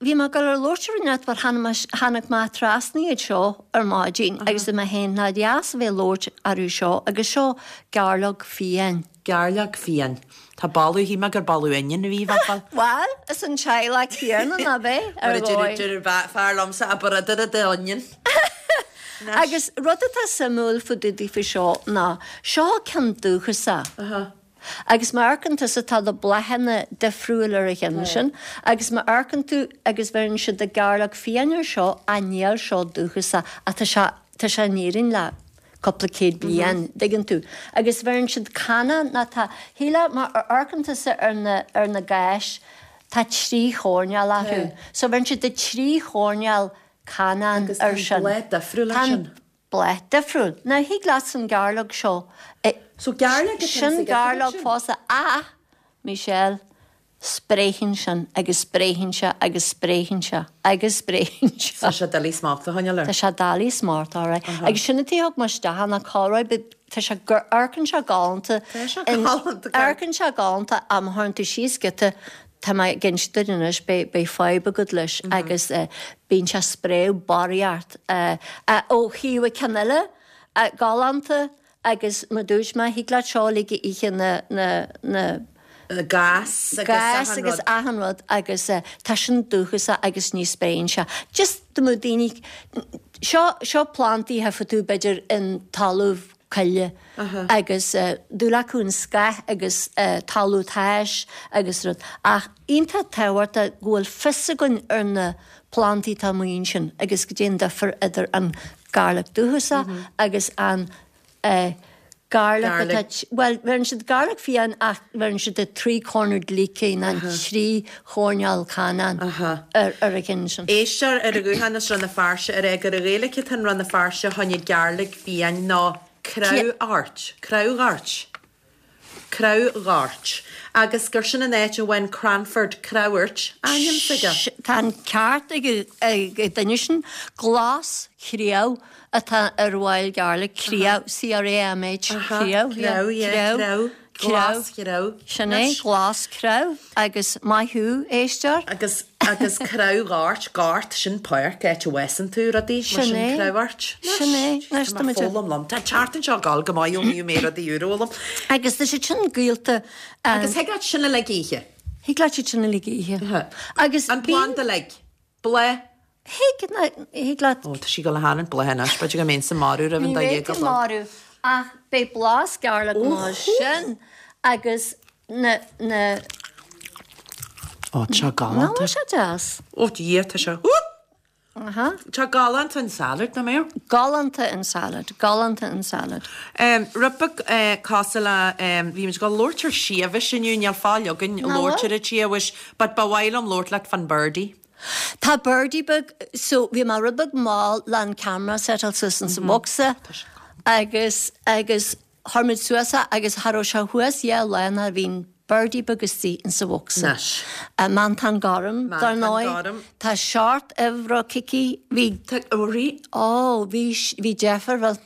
Speaker 5: bhí mé ag dul ar labhairt ar net mar tháinig mé trasna iad seo ar maidin agus i mé féin ná deas a bheith labhairt orthu seo agus seo gairleog fiáin.
Speaker 1: Gairleog fiáin. Tá boladh shíl mé gur boladh onion a bhí bhfal.
Speaker 5: Well, is an teaghlach céanna ná bheith ar dhóigh.
Speaker 1: Fear liomsa a brother de onion.
Speaker 5: Agus rud atá suimiúil fá dtaobh faoi seo ná seo ceann dúchasach. Agus má amharcann tusa tá na bláthanna difriúil ar a cheann sin, agus má amharcann tú agus bheireann siad de gairleog fiáin ar seo a níl seo dúchasach ach tá sé tá sé in Éirinn le cúpla céad bliain, dtuigeann tú. Agus bheireann siad canna ná tá shíle má amharcann tusa ar na ar na gais tá trí choirnéal orthu. So bheireann siad de trí choirnéal canán
Speaker 1: Agus
Speaker 5: ar
Speaker 1: tá an
Speaker 5: sin.
Speaker 1: bláth difriúil ar
Speaker 5: Tá an
Speaker 1: sin.
Speaker 5: bláth difriúil. Now thig leat an gairleog seo
Speaker 1: So gairleog atá
Speaker 5: Sin
Speaker 1: sa gceann
Speaker 5: gairleog
Speaker 1: sin?
Speaker 5: fosta ach Michelle spréann sin agus spréann sé agus spréann sé agus spréann sé.
Speaker 1: Tá sé doiligh smacht a choinneáil air.
Speaker 5: Tá sé doiligh smacht air. Agus sin an tuige thug mé isteach na córáid tá sé gur amharcann sé galánta.
Speaker 1: Tá sé
Speaker 5: in-
Speaker 1: galánta, gar-
Speaker 5: Amharcann sé galánta am tharn tú síos giota tá mé ag inse duit anois beidh beidh fadhb agat leis agus eh, bíonn sé spréadh barraíocht eh, eh, ó thaobh ceann eile eh, galánta agus mar dúirt mé thig leat seo ag ithe na na na
Speaker 1: Gas agus
Speaker 5: gas
Speaker 1: achan
Speaker 5: agus
Speaker 1: rud.
Speaker 5: achan rud agus uh, tá sin dúchasach agus ní spréann sé. Just do mo daoine seo seo plantaí a tú b'fhéidir in talamh coille agus uh, dúil acu an scáth agus uh, talamh tais agus rud. Ach iontach tábhachtach go bhfuil fios againn ar na plantaí tá muin sin agus goidé an difear idir an garlic dúchasach agus an uh, garlic
Speaker 1: Garlic.
Speaker 5: atá Well, bheireann siad garlic fiáin ach bheireann siad de three-cornered leek an trí choirnéal canán ar ar a cinn sin.
Speaker 1: Éisteoir ar a ghuthán is Rann na Feirste ar é gur a Ghaeilge an Rann na Feirste tháinig gairleog fiáin ná creamhghort, creamhghort. Creamhghort. Agus gur sin an áit a bhain Cranford Creabhairt ainm s'aige.
Speaker 5: Tá an ceart ag ag duine sin glas chriamh atá ar wild garlic criamh C-R-A-M-H criamh
Speaker 1: Creamh, yeah, creamh. Glas chreamh.
Speaker 5: Sin é glas creamh agus maith thú éisteoir.
Speaker 1: Agus agus creamhghort, gort sin páirc áit a bhfásann tú rudaí mar
Speaker 5: Sin
Speaker 1: sin
Speaker 5: é.
Speaker 1: creamhghort.
Speaker 5: Sin é. Anois tá muid a-
Speaker 1: Foghlaim liom. Tá teart anseo gal go maith ó mé rudaí úr
Speaker 5: Agus tá sé sin gaolta
Speaker 1: Agus thig leat sin a le ithe.
Speaker 5: Thig leat sin a le ithe. Agus
Speaker 1: An planda le bláth
Speaker 5: Thig thig leat
Speaker 1: Ó tá sí go le hana bláth b'fhéidir go mbím sa marú roimh an
Speaker 5: Ní
Speaker 1: dá
Speaker 5: bheidh
Speaker 1: dhéag
Speaker 5: tú marú ach beidh blas garlic mar sin agus na na
Speaker 4: Ó tá
Speaker 5: Ná
Speaker 4: galánta.
Speaker 5: sé deas.
Speaker 1: Ó Dhia tá sé.
Speaker 5: Aha.
Speaker 1: Tá galánta an salad na mé?
Speaker 5: Galánta an salad, galánta an salad.
Speaker 1: Um, Rud beag uh, cosúil le um, bhí muid ag labhairt ar síomhais inniu níl fáil againn labhairt ar síomhais, but ba mhaith liom labhairt leat fan birdie.
Speaker 5: Tá birdie beag so bhí mar rud beag mall le an camera setáil suas in sa bhocsa agus agus chuir muid suas é agus cha raibh sé thuas dhá lá ná bhí'n birdie beag istigh in sa bhocsa.
Speaker 1: Anois.
Speaker 5: Uh, Mantán gorm dar
Speaker 1: Mantán
Speaker 5: ndóigh.
Speaker 1: gorm.
Speaker 5: Tá seacht uimhreacha aici bhí
Speaker 1: Tá rí
Speaker 5: Ó, bhí bhí deifir bhil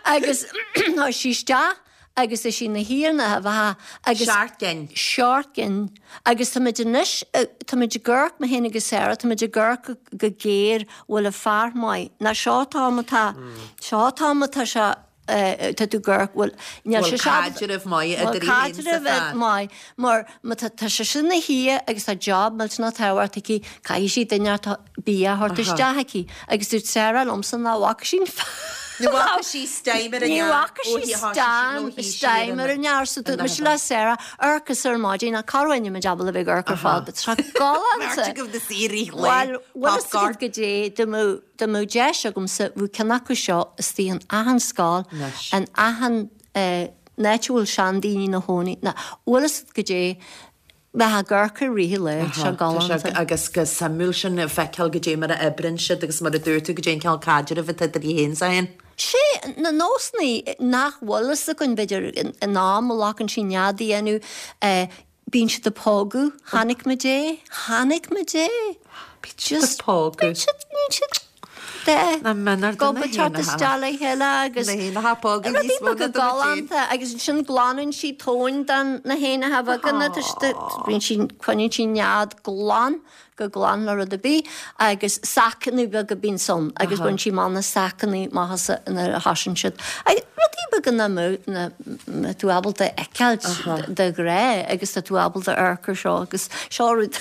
Speaker 5: Agus tá sí isteach agus is sí na híarna a bheatha agus
Speaker 1: Seacht gcinn.
Speaker 5: Seacht gcinn agus tá muid anois tá muid ag amharc mé féin agus Sarah tá muid ag amharc go géar bhfuil a fear maith na seo tá tá seo tá tá se tá tú gur bhfuil níl
Speaker 1: Bhfuil
Speaker 5: sé seo-
Speaker 1: caidreamh maith
Speaker 5: Bhfuil
Speaker 1: idir í féin sa
Speaker 5: caidreamh
Speaker 1: fear.
Speaker 5: maith mar má tá tá sé sin na hia agus tá job millteanach tábhachtach aici caithfidh sí duine atá bia a thabhairt isteach aici agus dúirt Sarah liomsa ná bhfaca sí
Speaker 1: Ní bhfaca sí steam ar an
Speaker 5: Ní
Speaker 1: near.
Speaker 5: bhfaca
Speaker 1: Ó,
Speaker 5: sí
Speaker 1: hí- thá sí-
Speaker 5: steam
Speaker 1: nó hí sí
Speaker 5: steam ar an near so dúirt mise le Sarah amharc ar maidin ná carhaine me jabal a bheith amharc ar fad but tá galánta.
Speaker 1: Go na saoirí le
Speaker 5: Well, well
Speaker 1: popcorn.
Speaker 5: go dé do mó deis agamsa bhú ceann acu seo istigh in achan scoil
Speaker 1: Anois.
Speaker 5: an achan netúil seandaoine na hóí na bhfuil go dé bheith gurcha rithe le seo galánta.
Speaker 1: agus go suimiúil sin feiceáil go dé mar a oibríonn siad agus mar a dúirt tú go dé ceal caidreamh atá idir í féin sa fhéin.
Speaker 5: Sé na nósanna nach bhfuil a gon b'fhéidir in am a lacann sí neadaí anu bíonn siad ag pógadh, chonaic muid é, chonaic muid é.
Speaker 1: Just pógadh.
Speaker 5: Siad de
Speaker 1: Na mena
Speaker 5: Go teacht isteach le chéile agus
Speaker 1: Na héanacha pógadh
Speaker 5: rudaí
Speaker 1: níos mó
Speaker 5: beaga
Speaker 1: ná do muid
Speaker 5: galánta agus sin glanann sí tóin den na héanacha beaga bíonn sí coinníonn sí nead glan go glan le rud ar bith agus sacanna beaga bíonn san agus bíonn sí man na sacanna maitheasa ina thasann siad. Agus rudaí beaga na mó na na tú ábalta fheiceáilt de ghré agus tá tú ábalta amharc air seo agus seo rud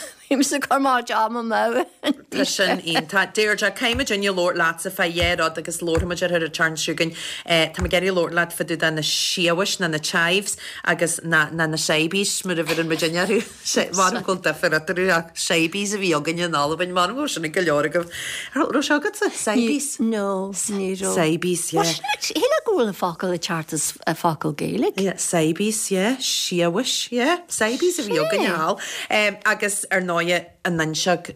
Speaker 5: sa chumá am mó.
Speaker 1: Tá sin iontach Deirdre caithfimid inniu labhairt leatsa fá dhá rud agus labharfaimid ar ar turn chugainn Tá mé ag iarraidh labhairt leat fá dtaobh de na siabhais na na chives agus na na na seibies mar a bheireann muid orthu mar go bhfuil difear eatarthu ach seibies a bhí againn in Albain mar go sin go leor agaibh. Raibh sé agatsa seibies?
Speaker 5: No, ní raibh.
Speaker 1: Seibies, yeah.
Speaker 5: Shíl go bhfuil an focal i ceart is a focal Gaelic.
Speaker 1: Yeah, seibies, yeah, siabhais, yeah, seibies a bhí againn thall. Um, agus ar ndóigh an nuinseog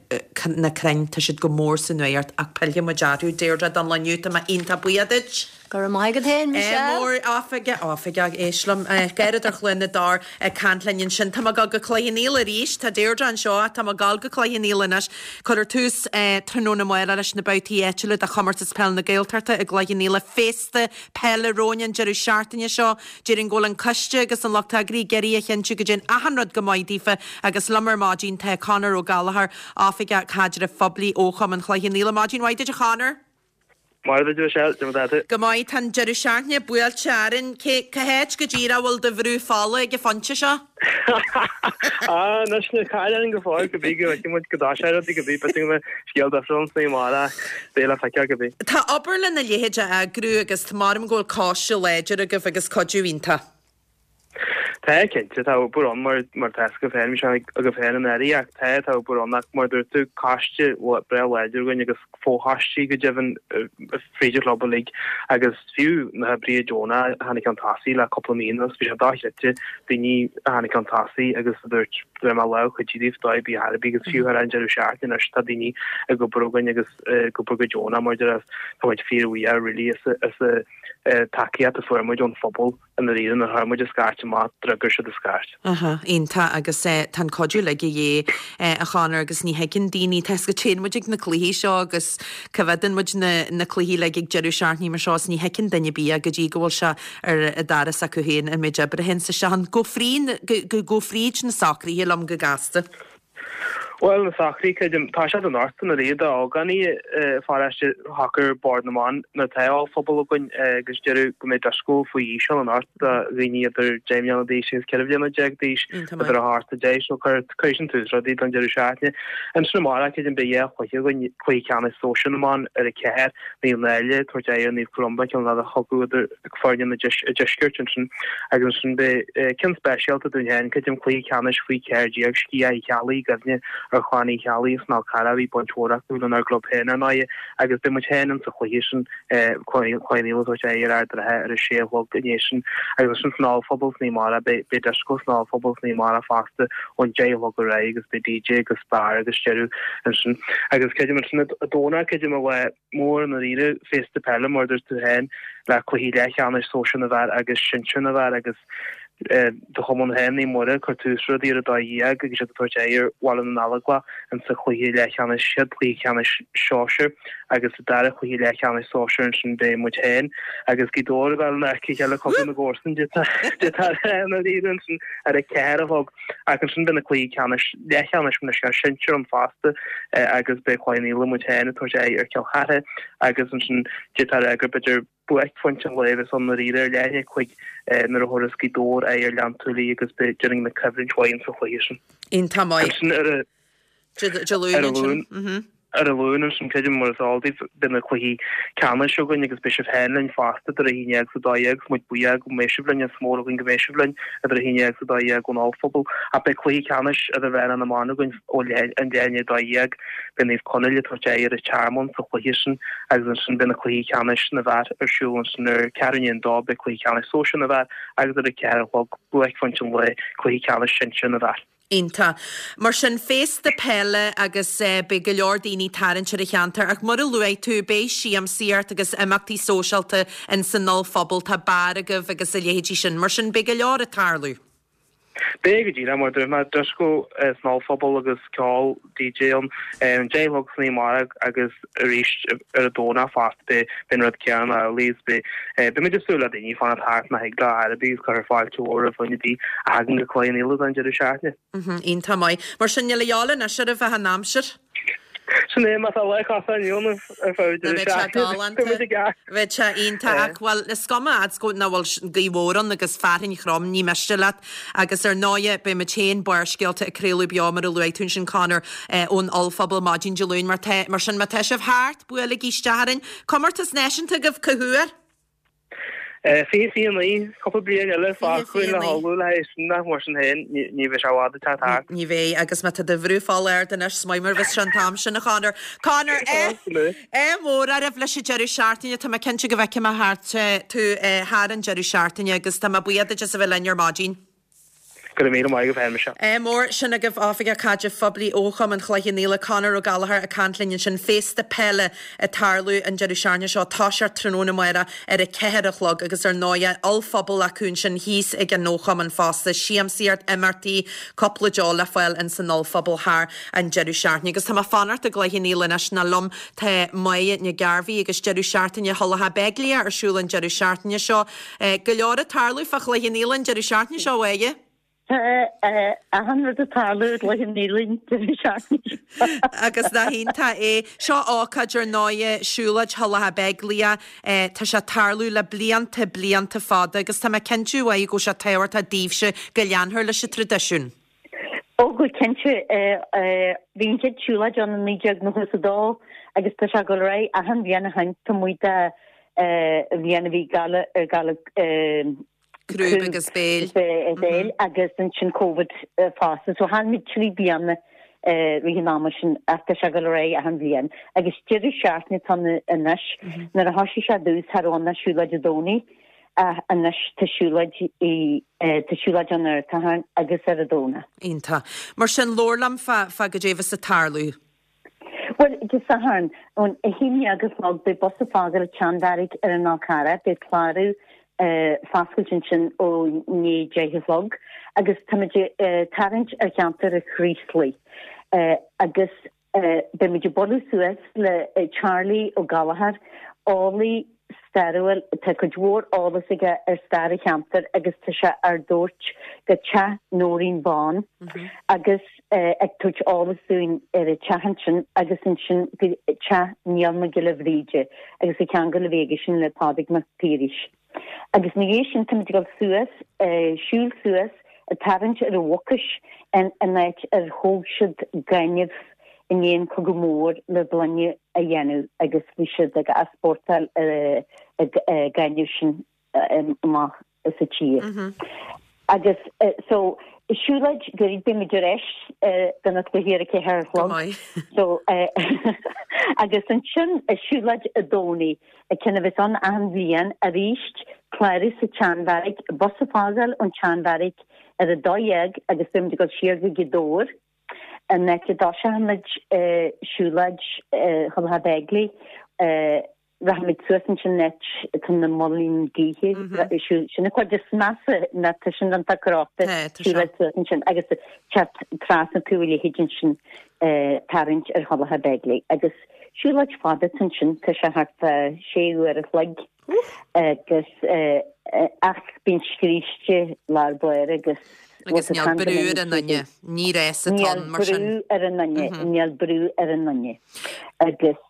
Speaker 1: na crainn tá siad go mór sa nuacht ach pillfidh muid orthu Deirdre don lá inniu tá mé iontach buíoch duit.
Speaker 5: Go raibh maith agat féin, Michelle.
Speaker 1: Mór oifige oifige éislam gairid ar Chluain na Dár ag caint linn ansin Tá ag dul go Cloich Cheann Fhaola arís Tá Deirdre anseo tá ag dul go Cloich Cheann Fhaola anois Cuirfear tús tráthnóna amárach leis na babhtaí áitiúla de chomórtas peil na Gaeltachta i gCloich Cheann Fhaola féasta peile romhainn an deireadh seachtaine seo Déarfainn go bhfuil an coiste agus an lucht eagraithe ag iarraidh a chinntiú go dtéann achan rud go maith daofa agus liom ar maidin tá Conor Ó Gallchóir oifigeach caidrimh phoiblí ó Chumann Chloich Cheann Fhaola maidin mhaith duit a Chonor.
Speaker 6: Mar a Michelle, de
Speaker 1: Go maith tá deireadh seachtaine buailte orainn cé cá háit go díreach bhfuil do bhrú fola ag an phointe seo?
Speaker 6: Ah, anois na cailín go fóill go bí go muid go dá sé go bí be me scéal difriúil sa mar bé le feiceáil go bí.
Speaker 1: Tá obair lena leithéid a eagrú agus tá mar go bhfuil coiste láidir agaibh agus cuidiú iontach.
Speaker 6: Tá cinnte tá obair ann mar mar tá go féin sé go féin an airí ach tá tá obair ann ach mar dúirt tú coiste breá láidir againn agus fóthaistí go deimhin fríd an chlub uilig agus fiú na hoibrithe deonacha a tháinig chun tosaigh le cúpla mí anuas bhí sé dochreidte daoine a tháinig chun tosaigh agus dúirt le mar le chuid díobh dóibh bí thairbí agus fiú ar an deireadh seachtaine anois tá daoine ag obair againn agus ag obair go deonach mar tá muid fíorbhuíoch really as as tacaíocht a fuair muid ón phobal in na rian a chuir muid a scairt amach d'fhreagair siad a scairt.
Speaker 1: Aha, iontach agus tá an cuidiú uilig de dhíth a Chonor agus ní thuigeann daoine tá go téann muid ag na cluichí seo agus coimhéadann muid na, na cluichí le ag deireadh seachtaine mar seo is ní thuigeann duine bia go dtí go bhfuil sé ar a doras acu féin an méid oibre sin sa sean go frín go, go, go fríd na socruithe liom go gasta.
Speaker 6: Well na socruithe creidim tá sé an ort na riad ógánaí pharáiste shocair Bord na mBan na tá phobal againn agus deireadh go mbeidh dioscó faoi aois ann anocht do dhaoine idir deich mbliana d'aois agus ceithre bliana déag d'aois idir a hocht a deich so chuir chuir sin tús rudaí don deireadh seachtaine. Ansin amárach creidim beidh dhá chluiche againn cluiche ceannais sóisear na mban ar a ceathair Naomh Náille tabhairt aghaidh ar Naomh Columba ceann eile chucu idir foirne na deiscirt ansin agus ansin beidh ceann speisialta dúinn féin creidim cluiche ceannais faoi ceathair déag Sciath Uí Cheallaigh i gcuimhne ar Chlann Uí Cheallaigh as an Fhál Carrach. Bhí baint mhór acu lenár gclub féin ar ndóigh agus beidh muid féin insa chluiche sin, Cloich Cheann Fhaola ag tabhairt aghaidh ar Ard an Rátha ar a sé a chlog inné sin. Agus ansin san Ollphuball san oíche amárach, beidh beidh dioscó san Ollphuball san oíche amárach fosta ón deich a chlog ar aghaidh agus beidh DJ agus beár agus deireadh ansin. Agus creidim ansin an Domhnach, creidim an lá mór i ndáiríre, féasta peile mar a dúirt tú féin, le cluichí leathcheannais sóisir na bhfear agus sinsir na bhfear agus do chumann féin, Naomh Muire, ag cur tús le rudaí ar a dó dhéag agus iad ag tabhairt aghaidh ar Bhaile na nGallóglach insa chluiche leathcheannais, chéad chluiche ceannais sóisir agus sa dara cluiche leathcheannais sóisir ansin beidh muid féin agus Gaoth Dobhair ag dul in aice a chéile cogadh na gcomharsan i ndáiríre ansin ar a ceathair a chlog ach ansin beidh na cluichí ceannais leathcheannais na sinsear ann fosta agus beidh Cloich Cheann Fhaola muid féin ag tabhairt aghaidh ar Chill Chartha agus ansin d'fhéadfá a rá gur b'fhéidir buaicphointe an lae a bheas ann i ndáiríre ar leath i ndiaidh a cúig nuair a thabharfas Gaoth Dobhair aghaidh ar Ghleann tSúilí agus beidh déarfainn na coimhlint mhaith insa chluiche sin.
Speaker 1: Iontach maith.
Speaker 6: Ansin ar a
Speaker 1: Dé Luain ansin.
Speaker 6: Ar an Luan ansin creidim mar is eol daoibh beidh na cluichí ceannais againn agus beidh sibh féin linn fosta idir a haon déag is a dó dhéag agus muid buíoch go mbeidh sibh linn is mór againn go mbeidh sibh linn idir a haon déag is a dó dhéag ón Ollphuball ach beidh cluichí ceannais idirmheánach na mban againn ó leath i ndiaidh a dó dhéag beidh Naomh Conaill ag tabhairt aghaidh ar an Tearmann sa chluiche sin agus ansin beidh na cluichí ceannais na bhfear ar siúl ansin ar ceathrú i ndiaidh a dó beidh cluiche ceannais sóisir na bhfear agus ar a ceathair a chlog buaicphointe an lae cluiche ceannais sinsir na bhfear.
Speaker 1: Iontach. Mar sin, féasta peile agus beidh go leor daoine ag tarraingt ar an cheantar ach mar a luaigh tú, beidh siamsaíocht agus imeachtaí sóisialta in san ollphuball, tá beár agaibh agus a leithéidí sin. Mar sin, beidh go leor ag tarlú.
Speaker 6: Beidh go díreach, mar a dúirt mé, dioscó san ollphuball agus ceol DJ ann ar an deich a chlog san oíche amárach agus arís ar an Domhnach fosta beidh an rud céanna amhlaidh is beidh beidh muid ag súil le daoine fanacht thart má thig leo ar bith agus cuirfear fáilte mhór roimh dhuine ar bith a thagann go Cloich Cheann Fhaola don deireadh seachtaine.
Speaker 1: Iontach maith. Mar sin níl a dhíobháil anois oraibh ach an aimsir.
Speaker 6: Sin é, má tá lá cosán inniu ann ar feadh
Speaker 1: Bheadh
Speaker 6: deireadh
Speaker 1: sé
Speaker 6: seachtaine,
Speaker 1: galánta.
Speaker 6: beidh muid i gceart.
Speaker 1: Bheadh sé iontach ach, bhuel, is cuma fhad 's go nach bhfuil gaoth mhór ann agus fearthainn throm, ní miste leat. Agus ar ndóighe, beidh muid féin, Barrscéalta, ag craoladh beo, mar a luaigh tú ansin, Conor, ón Ollphuball maidin Dé Luain. Mar tá, mar sin, má tá sibh thart, buailigí isteach orainn. Comórtas náisiúnta agaibh cá huair?
Speaker 6: Fiche fiche naoi, cúpla bliain eile
Speaker 1: Fiche
Speaker 6: fágtha
Speaker 1: fiche
Speaker 6: le
Speaker 1: naoi.
Speaker 6: hullmhú le haghaidh sin ach mar sin féin ní bheidh sé i bhfad ag teacht thart.
Speaker 1: Ní bheidh, agus má tá do bhrú fáil ard anois, is maith mar bheas sé an t-am sin, a Chonor. Conor, ádh mór oraibh leis an deireadh seachtaine, tá mé cinnte go bhfeicfidh mé thart tú thar an deireadh seachtaine agus tá mé buíoch duit as a bheith linn ar maidin.
Speaker 6: Go raibh míle maith agat féin, Michelle.
Speaker 1: Ádh mór, sin agaibh Oifigeach Caidrimh Phoiblí ó Chumann Chloich Cheann Fhaola, Conor Ó Gallchóir ag caint linn ansin. Féasta peile ag tarlú an deireadh seachtaine seo, toiseacht tráthnóna amárach ar a ceathair a chlog agus ar ndóighe ollphuball acu ansin thíos ag an Chumann fosta. Siamsaíocht, imeachtaí, cúpla deoch le fáil ins an ollphuball thar an deireadh seachtaine. Agus tá mé ag fanacht i gCloich Cheann Fhaola anois nó liom tá Máire Nic Gairbhí agus deireadh seachtaine Thulach Beaglaoich ar siúl an deireadh seachtaine seo. Go leor ag tarlú fá Chloich Cheann Fhaola an deireadh seachtaine seo, a Mháire.
Speaker 7: Tá achan rud ag tarlú i gCloich Cheann Fhaola an deireadh seachtaine seo.
Speaker 1: Agus nach iontach é. Seo ócáid ar ndóighe, siúlóid Thulach Beaglaoich. Tá sé ag tarlú le blianta, blianta fada agus tá mé cinnte, a Mháire, go bhfuil sé tábhachtach daoibhse go leanfar leis an traidisiún.
Speaker 7: Ó go cinnte. Bhí an chéad siúlóid ann i naoi déag nócha is a dó agus tá sé ag dul ar aghaidh achan bhliain ó shin taobh amuigh de bhliain a bhí galar galar
Speaker 1: Crúb agus béil.
Speaker 7: béil agus ansin Covid fosta. So chaill muid trí bliana rith an ama sin ach tá sé ag dul ar aghaidh achan bhliain. Agus deireadh seachtaine atá ann anois. Nuair a thosaigh sé ar dtús cha raibh ann ach siúlóid Dé Domhnaigh ach anois tá siúlóid tá siúlóid ann ar an Satharn agus ar an Domhnach.
Speaker 1: Iontach. Mar sin labhair liom fá fá goidé a bheas ag tarlú.
Speaker 7: Bhuel, Dé Sathairn, ón a haon déag a chlog, beidh bus ag fágáil an tSeanbheairic ar an Fhál Carrach, beidh clárú foscailte ansin ó i ndiaidh deich a chlog agus táimid ag tarraingt ar cheantar an Chraoslaigh agus beimid ag bualadh suas le Charlie Ó Gallchóir, eolaí stairiúil, tá cuid mhór eolas aige ar stair an cheantair agus tá sé ár dtabhairt go teach Nóirín Bán agus ag tabhairt eolas dúinn ar an teach ansin agus ansin go teach Niall Mac Giolla Bhríde agus an ceangal a bhí aige sin le Pádraig Mac Piarais. Agus ina dhiaidh sin táimid ag dul suas, siúl suas, ag tarraingt ar an Mhucais an áit ar thóg siad gaineamh i ndiaidh an Cogadh Mór le gloine a dhéanamh agus bhí siad ag easpórtáil an gaineamh sin amach as an tír. Agus so Siúlóid gairid beidh muid ar ais do na cluichí ar a ceathair a chlog. So agus ansin siúlóid an Domhnaigh, ceann a bheas ann achan bhliain arís, clárú sa tSeanbheairic, bus ag fágáil ón tSeanbheairic ar a dó dhéag agus beidh muid ag dul siar go Gaoth Dobhair, an áit a dtoiseochaimid siúlóid Thulach Bheiglaoich. Rachaimid suas ansin an áit atá na muilinn gaoithe, sin an chuid is measa ná tá sin iontach crochta, siúlóid suas ansin agus teacht trasna taobh a leithéid ansin tarraingt ar Thulach Bheiglaoich agus siúlóid fada atá ansin, tá sé thart fá sé uair a chloig agus ach bíonn scríste lár báire agus
Speaker 1: Agus níl brú ar an nduine, ní rás atá ann mar sin.
Speaker 7: Níl brú ar an nduine, níl brú ar an nduine agus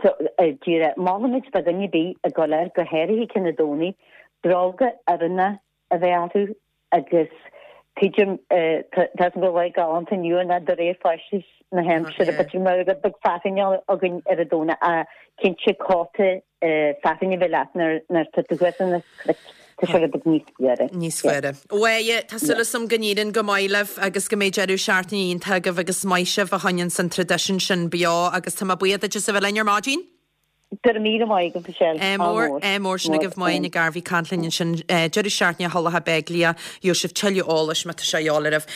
Speaker 7: So, díreach, molaimid do dhuine ar bith a ghoil air, go háirithe ceann an Domhnaigh, bróga oiriúnacha a bheith orthu agus tuigim, tá a fhios agam go bhfuil lá galánta inniu ná de réir fairsinge na haimsire, b'fhéidir mar rud beag fearthainne againn ar an Domhnach, ach cinnte cóta fearthainne a bheith leat nuair atá tú thuas ar na cnoic. Tá sé rud beag níos fuaire.
Speaker 1: Níos fuaire. Bhuel, tá súil agam go n-éiríonn go maith libh agus go mbeidh deireadh seachtaine iontach agaibh agus maith sibh a choinníonns an traidisiún sin beo agus tá mé buíoch duit as a bheith linn ar maidin.
Speaker 7: Go raibh míle maith agat, Michelle.
Speaker 1: Ádh mór. Ádh mór sin agaibh Máire Nic Gairbhí ag caint linn ansin. Deireadh seachtaine Thulach Beigile. Gheobhaidh sibh tuilleadh eolais má tá sé de dhíobháil oraibh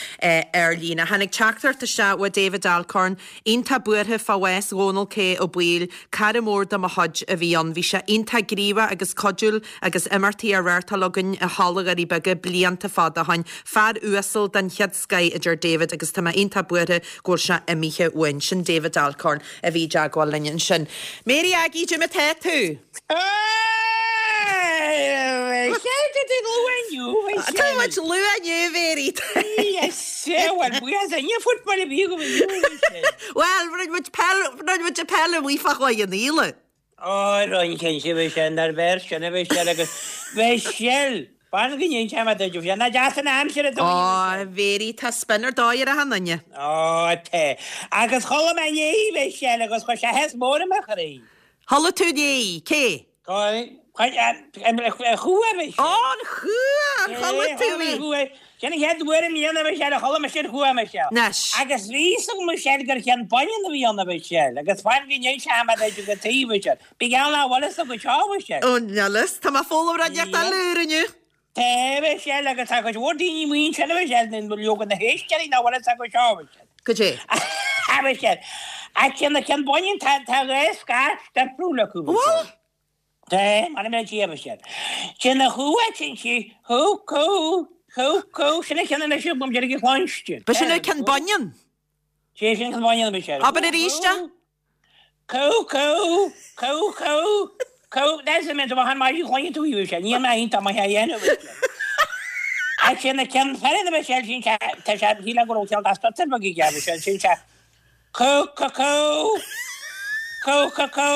Speaker 1: ar líne. Tháinig teachtaireacht isteach ó David Alcorn, iontach buartha fá bhás Dhónal K Ó Baoill, cara mór de mo chuid a bhí ann. Bhí sé iontach gníomhach agus cuidiúil agus imeachtaí á reáchtáil againn i Halla Dhoirí Beaga blianta fada ó shoin. Fear uasal den chéad scoith a deir David agus tá mé iontach buartha go bhfuil sé imithe uainn. Sin David Alcorn a bhí i dteagmháil linn ansin. Mary Aggie, cad é mar tá tú? Tá muid luath inniu, Mary. Bhuel, rinne muid peil, rinne muid peil amuigh fá choinne an fhíle.
Speaker 8: Ó, rinne cinnte, bhí sé inár bhfear sin a bhí sé agus bhí Shell, fan go ndéan sé mar duit, bhí sé ina deas an aimsir a dóigh.
Speaker 1: Ó, Mary, tá spin ar dóigh ar achan duine.
Speaker 8: Ó, tá. Agus chuala mé inné í, bhí Shell, agus chuir sé áthas mór i mo chroí.
Speaker 1: Chuala tú inné í, cé?
Speaker 8: An chumha, bhí
Speaker 1: Ó, an chumha, ar chuala tú í?
Speaker 8: Sin an chéad uair i mbliana, bhí sé, a chuala mise an chumha, Michelle.
Speaker 1: Anois.
Speaker 8: Agus bhí fhios agam, Michelle, gur cheann baineann a bhí ann, a Mhichelle, agus fan go n-inseoidh mé duit go taobh, Michelle. Bí geall nach bhfuil fhios agat seo, Michelle.
Speaker 1: Ó, níl fhios, tá mé ag foghlaim rud inteacht eile úr inniu.
Speaker 8: Tá, Michelle, agus tá cuid mhór daoine amuigh ansin, a Mhichelle, nó leoga na héisteoirí nach bhfuil fhios acu seo, a Mhichelle.
Speaker 1: Cad é?
Speaker 8: A Mhichelle. Ach ceann na ceann baineann, tá tá dhá scairf difriúil acu, Michelle.
Speaker 1: Bhfuil?
Speaker 8: Tá, mar a bheadh a Mhichelle. Sin a chuaigh sin sí, chú cú, chú cú, sin a cheann anois agam deiridh a chluinstin.
Speaker 1: Ba sin é ceann baineann?
Speaker 8: Sé sin ceann baineann, a Mhichelle.
Speaker 1: Abair arís é.
Speaker 8: Cú cú, cú cú, cú, that's the mental behind my chloigeann tú í sé, níl mé iontach maith á dhéanamh. Ach sin a ceann fear a Mhichelle sin sé, tá sé, shíl go raibh ceann dá stutter beag aige a Mhichelle, sin sé, cú cú cú, cú cú cú,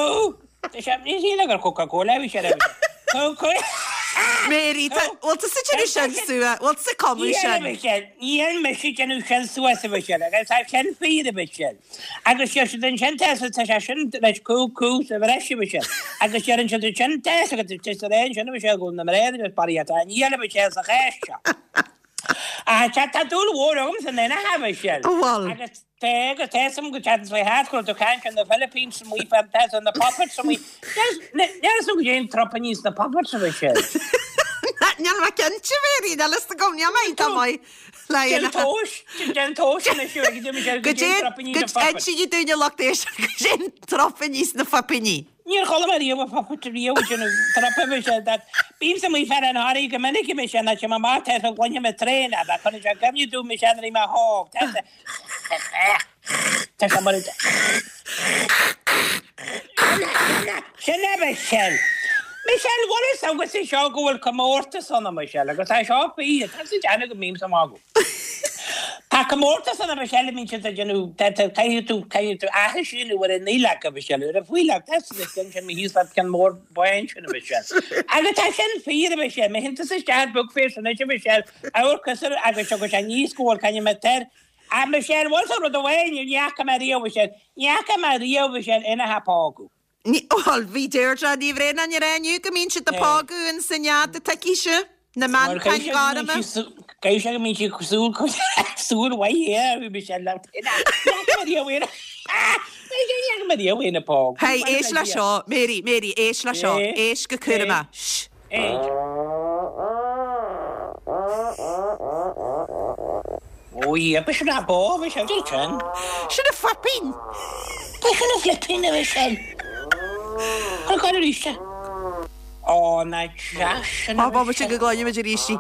Speaker 8: tá sé, ní shíl gur Coca-Cola a bhí sé a Mhichelle, cú cú.
Speaker 1: Mary, tá, bhfuil tusa ag déanamh sin suas, bhfuil tusa ag cumadh sin?
Speaker 8: Níl a Mhichelle, níl mise ag déanamh sin suas a Mhichelle, agus tá sin fíor a Mhichelle. Agus deir siad ansin tá tá sé sin leis cú cú sa bhreis a Mhichelle. Agus deireann siad ansin tá agus tá sa ré ansin a Mhichelle go bhfuil na mná agus barraí atá níl a Mhichelle sa chás seo. Ah, tá tá dúil mhór agam san aonach a Mhichelle.
Speaker 1: Bhfuil?
Speaker 8: Agus tá agus tá sam go teacht sa hat go tú caint na Philippines amuigh fam tá na puppets amuigh. Níl fhios agam goidé an tropainní sna puppets a Mhichelle.
Speaker 1: Níl mé cinnte Mary, níl fhios agam, níl mé iontach maith le
Speaker 8: Déan tomhas, déan tomhas anois a Mhichelle goidé an tropainní sna puppets.
Speaker 1: Insígí dúinn a lucht éisteachta goidé an tropainní sna fuipíní.
Speaker 8: Níor chuala mé riamh a puppet riamh ag déanamh trup a Mhichelle that bímse amuigh fé an Harry go minic a Mhichelle ná téim amach tá sa gcluiche mé tréan a cuireann sé i gcuimhne domh Michelle nuair a bhí mé óg tá sa Tá sé mar Sin é Michelle. Michelle, bhfuil fhios agatsa seo go bhfuil comórtas ann a Michelle agus tá seo fíor, tá sé déanamh go mbímse ag magadh. Tá comórtas ann a Michelle a mbíonn siad ag déanamh, tá tá caithfidh tú caithfidh tú aithris a dhéanamh ar an Nollaig a Michelle, ar an faoileach, tá siad ag sin sin thíos le ceann mór bán sin a Michelle. Agus tá sin fíor a Michelle, má théann tusa isteach ar Book Fairs anois a Michelle, amharc agus seo go sé níos go bhfuil caithfidh mé tar A Michelle, bhfuil fhios agat rud amháin, ní fhaca mé riamh Michelle, ní fhaca mé riamh Michelle aonach á pógadh.
Speaker 1: Ní, bhuel, bhí Deirdre Ní Bhraonáin ag rá inniu go mbíonn siad ag pógadh in san nead a tuigfidh na
Speaker 8: Bhuel,
Speaker 1: meancáin
Speaker 8: caithfidh
Speaker 1: ghorma.
Speaker 8: siad Caithfidh sé go mbíonn sí súil súil mhaith air, bhí sé le
Speaker 1: Hey, éist le seo, Mary, Mary, éist le seo, éist go cúramach. Shh.
Speaker 8: Ó yeah, b'shin a bó, bhí sé sin.
Speaker 1: Sin a fuipín!
Speaker 8: B'shin a flipín a bhí sin. Cuir cuir arís é. Ó, na deas sin a
Speaker 1: Ó, bhí sin go gcloisimid arís í.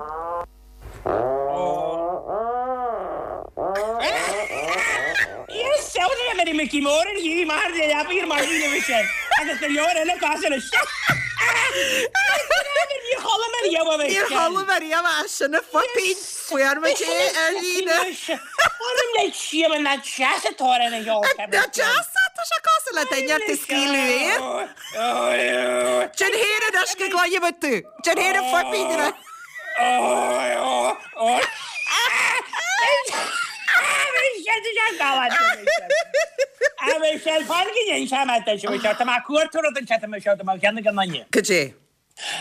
Speaker 8: Yes, samhlaigh le Mary Mickey Mór an ghaoth mar le leabaidh ar maidin a bhí sin. Agus go leor eile cosúil leis. Níor chuala mé riamh a bhí
Speaker 1: Níor
Speaker 8: sin.
Speaker 1: chuala mé riamh é sin a fuipín. Fuair muid é ar líne.
Speaker 8: Maidir le síoba na deas atá ar an gceol
Speaker 1: Na deas tá sé cosúil le duine ag scaoileadh aeir. Déan féin anois go gcloisfimid tú. Déan féin an fuipín ar Cad é?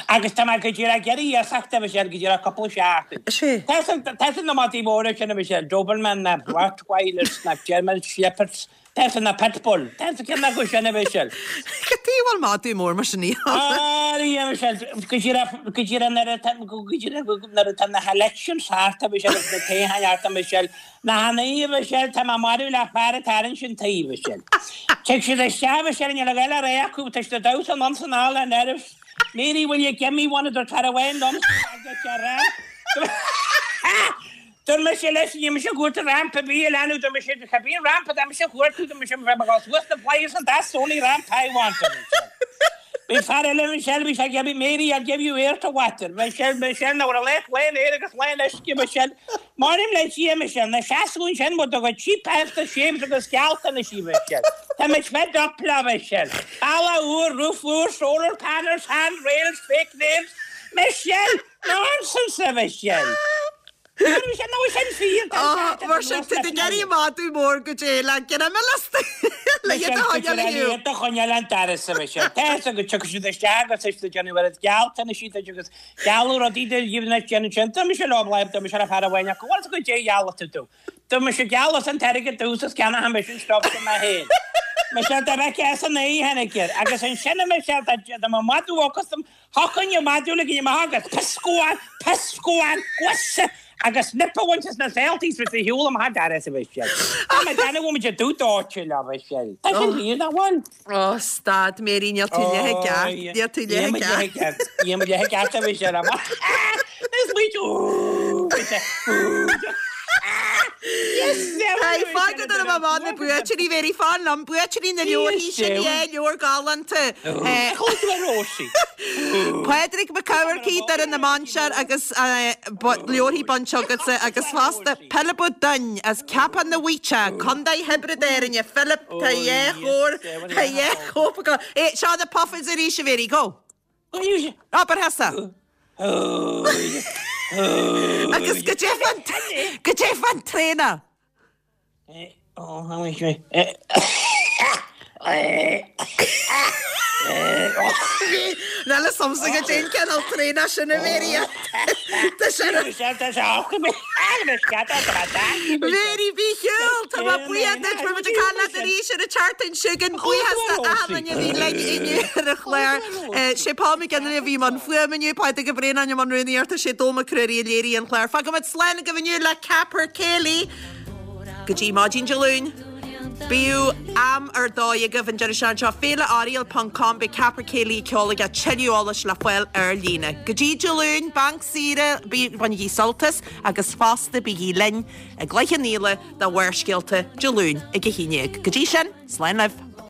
Speaker 8: Agus tá mé go díreach ag iarraidh iasacht a Mhichelle, go díreach cúpla seachtain.
Speaker 1: Sea.
Speaker 8: Tá na madaí móra sin a Mhichelle, Doberman na Rottweilers na German Shepherds, tá na Pitbull, tá ceann acu sin a Mhichelle.
Speaker 1: Cad chuige a bhfuil madadh mór mar sin ann?
Speaker 8: Ah, a Mhichelle, go díreach, go díreach nuair atá, go díreach nuair atá na helections thart a Mhichelle, agus na toghcháin thart a Mhichelle, na hanaí a Mhichelle, tá mé marbh le fear atá ar an sin taobh a Mhichelle. Tig siad isteach a Mhichelle, níl a ghaile ré acu, tá siad ag damhsa anonn 's anall le nerves. Mary will you give me one of the caravan lumps I get your ramp? Dúirt mise leis, níl mise ag cuartú ramp ar bith a leanbh, dúirt mise, cibé ramp atá mise a chuartú, dúirt mise, bheadh mé ag dul suas na flights and that's the only ramp I want, a Mhichelle. Bhí fear eile Michelle, bhí sé ag iarraidh, Mary, I'll give you air to water. Michelle, Michelle, nach raibh lán lán aer agus lán uisce, Michelle. M'anam le Dia, Michelle, na seasamh ansin with do chuid cheap after shaves agus gealltanais, Michelle. Tá muid fed up leo, Michelle. Balla úr, roof úr, solar panels, hand rails, fake nails. Michelle, nonsense, a Mhichelle. Michelle, nó sin fíor, tá
Speaker 1: Ó,
Speaker 8: sé
Speaker 1: mar sin, tá tú ag iarraidh madadh mór go dté le greim lasta le iad a choinneáil ar shiúl.
Speaker 8: Iad a choinneáil an doras, a Mhichelle. Tá fhios agat go dtiocfaidh siad isteach agus tá siad ag déanamh oiread gealltanais duit agus gealladh rudaí do dhíobh anois déanann sin. Dúirt mise leo, dúirt mise le fear amháin acu, bhfuil fhios agat goidé a gheall tú domh. Dúirt mise geall an t-airgead domhsa is ceannóidh mise an stuff sin mé féin. Michelle dá bheith as an oíche tháinig air agus ansin a Michelle dá dá mba madadh agus dom thiocfainn an madadh le ginn amach agus piscóán, piscóán, gusa agus nip a bhaint as na saoltaí sa shiúl amach an doras a Mhichelle. Tá mé ag déanamh go bhfuil muid ag dúdh dóite leo Michelle. Tá sin fíor nach bhfuil?
Speaker 1: Ó, stad, Mary, níl tú leath i gceart, níl tú leath i gceart.
Speaker 8: Níl mé leath i gceart a Mhichelle amach. Is muid úúú, úúú.
Speaker 1: Hey, fág go dtí am na buaiteoirí, Mary, fan liom, buaiteoirí na leabharthaí sin, yeah, leabhar galánta.
Speaker 8: Chuala tú ar Róisín?
Speaker 1: Pádraig Mac Eamharcaigh, Doire na Mainsear agus leabharthaí bainte agatsa agus fosta Pilib Ó Duinn as Ceapach na bhFaoiteach, Contae Thiobraid Árann, Philip, tá dhá chór, tá dhá chóip acu. Eh, seo na puffins arís, a Mhary, go! Abair thusa. Agus goidé fán, goidé fán traonach. Níl fhios a'msa goidé an cineál traonach sin a Mhary. Tá sé Mary bí ar shiúl, tá mé buíoch duit, beidh muid ag caint leat arís ar an tseachtain seo chugainn. Buíochas do achan duine a bhí linn inniu ar an chlár. Sé Paul McGinley a bhí i mbun fuaime inniu, Pádraig Ó Braonáin i mbun rúnaíochta, sé Dó Mac Ruairí a léirigh an clár. Fágfaimid slán agaibh inniu le Capercaillie. Go dtí maidin Dé Luain. Bíodh am ar dóigh agaibh an deireadh seachtaine seo. Féile Oriel ponc com Beidh Capercaillie ag ceol aige tuilleadh eolais le fáil ar líne. Go dtí Dé Luain, banc saoire, bainigí sult as agus fosta bígí linn i gCloich Cheann Fhaola do Bharrscéalta Dé Luain ag a haon déag. Go dtí sin, slán libh.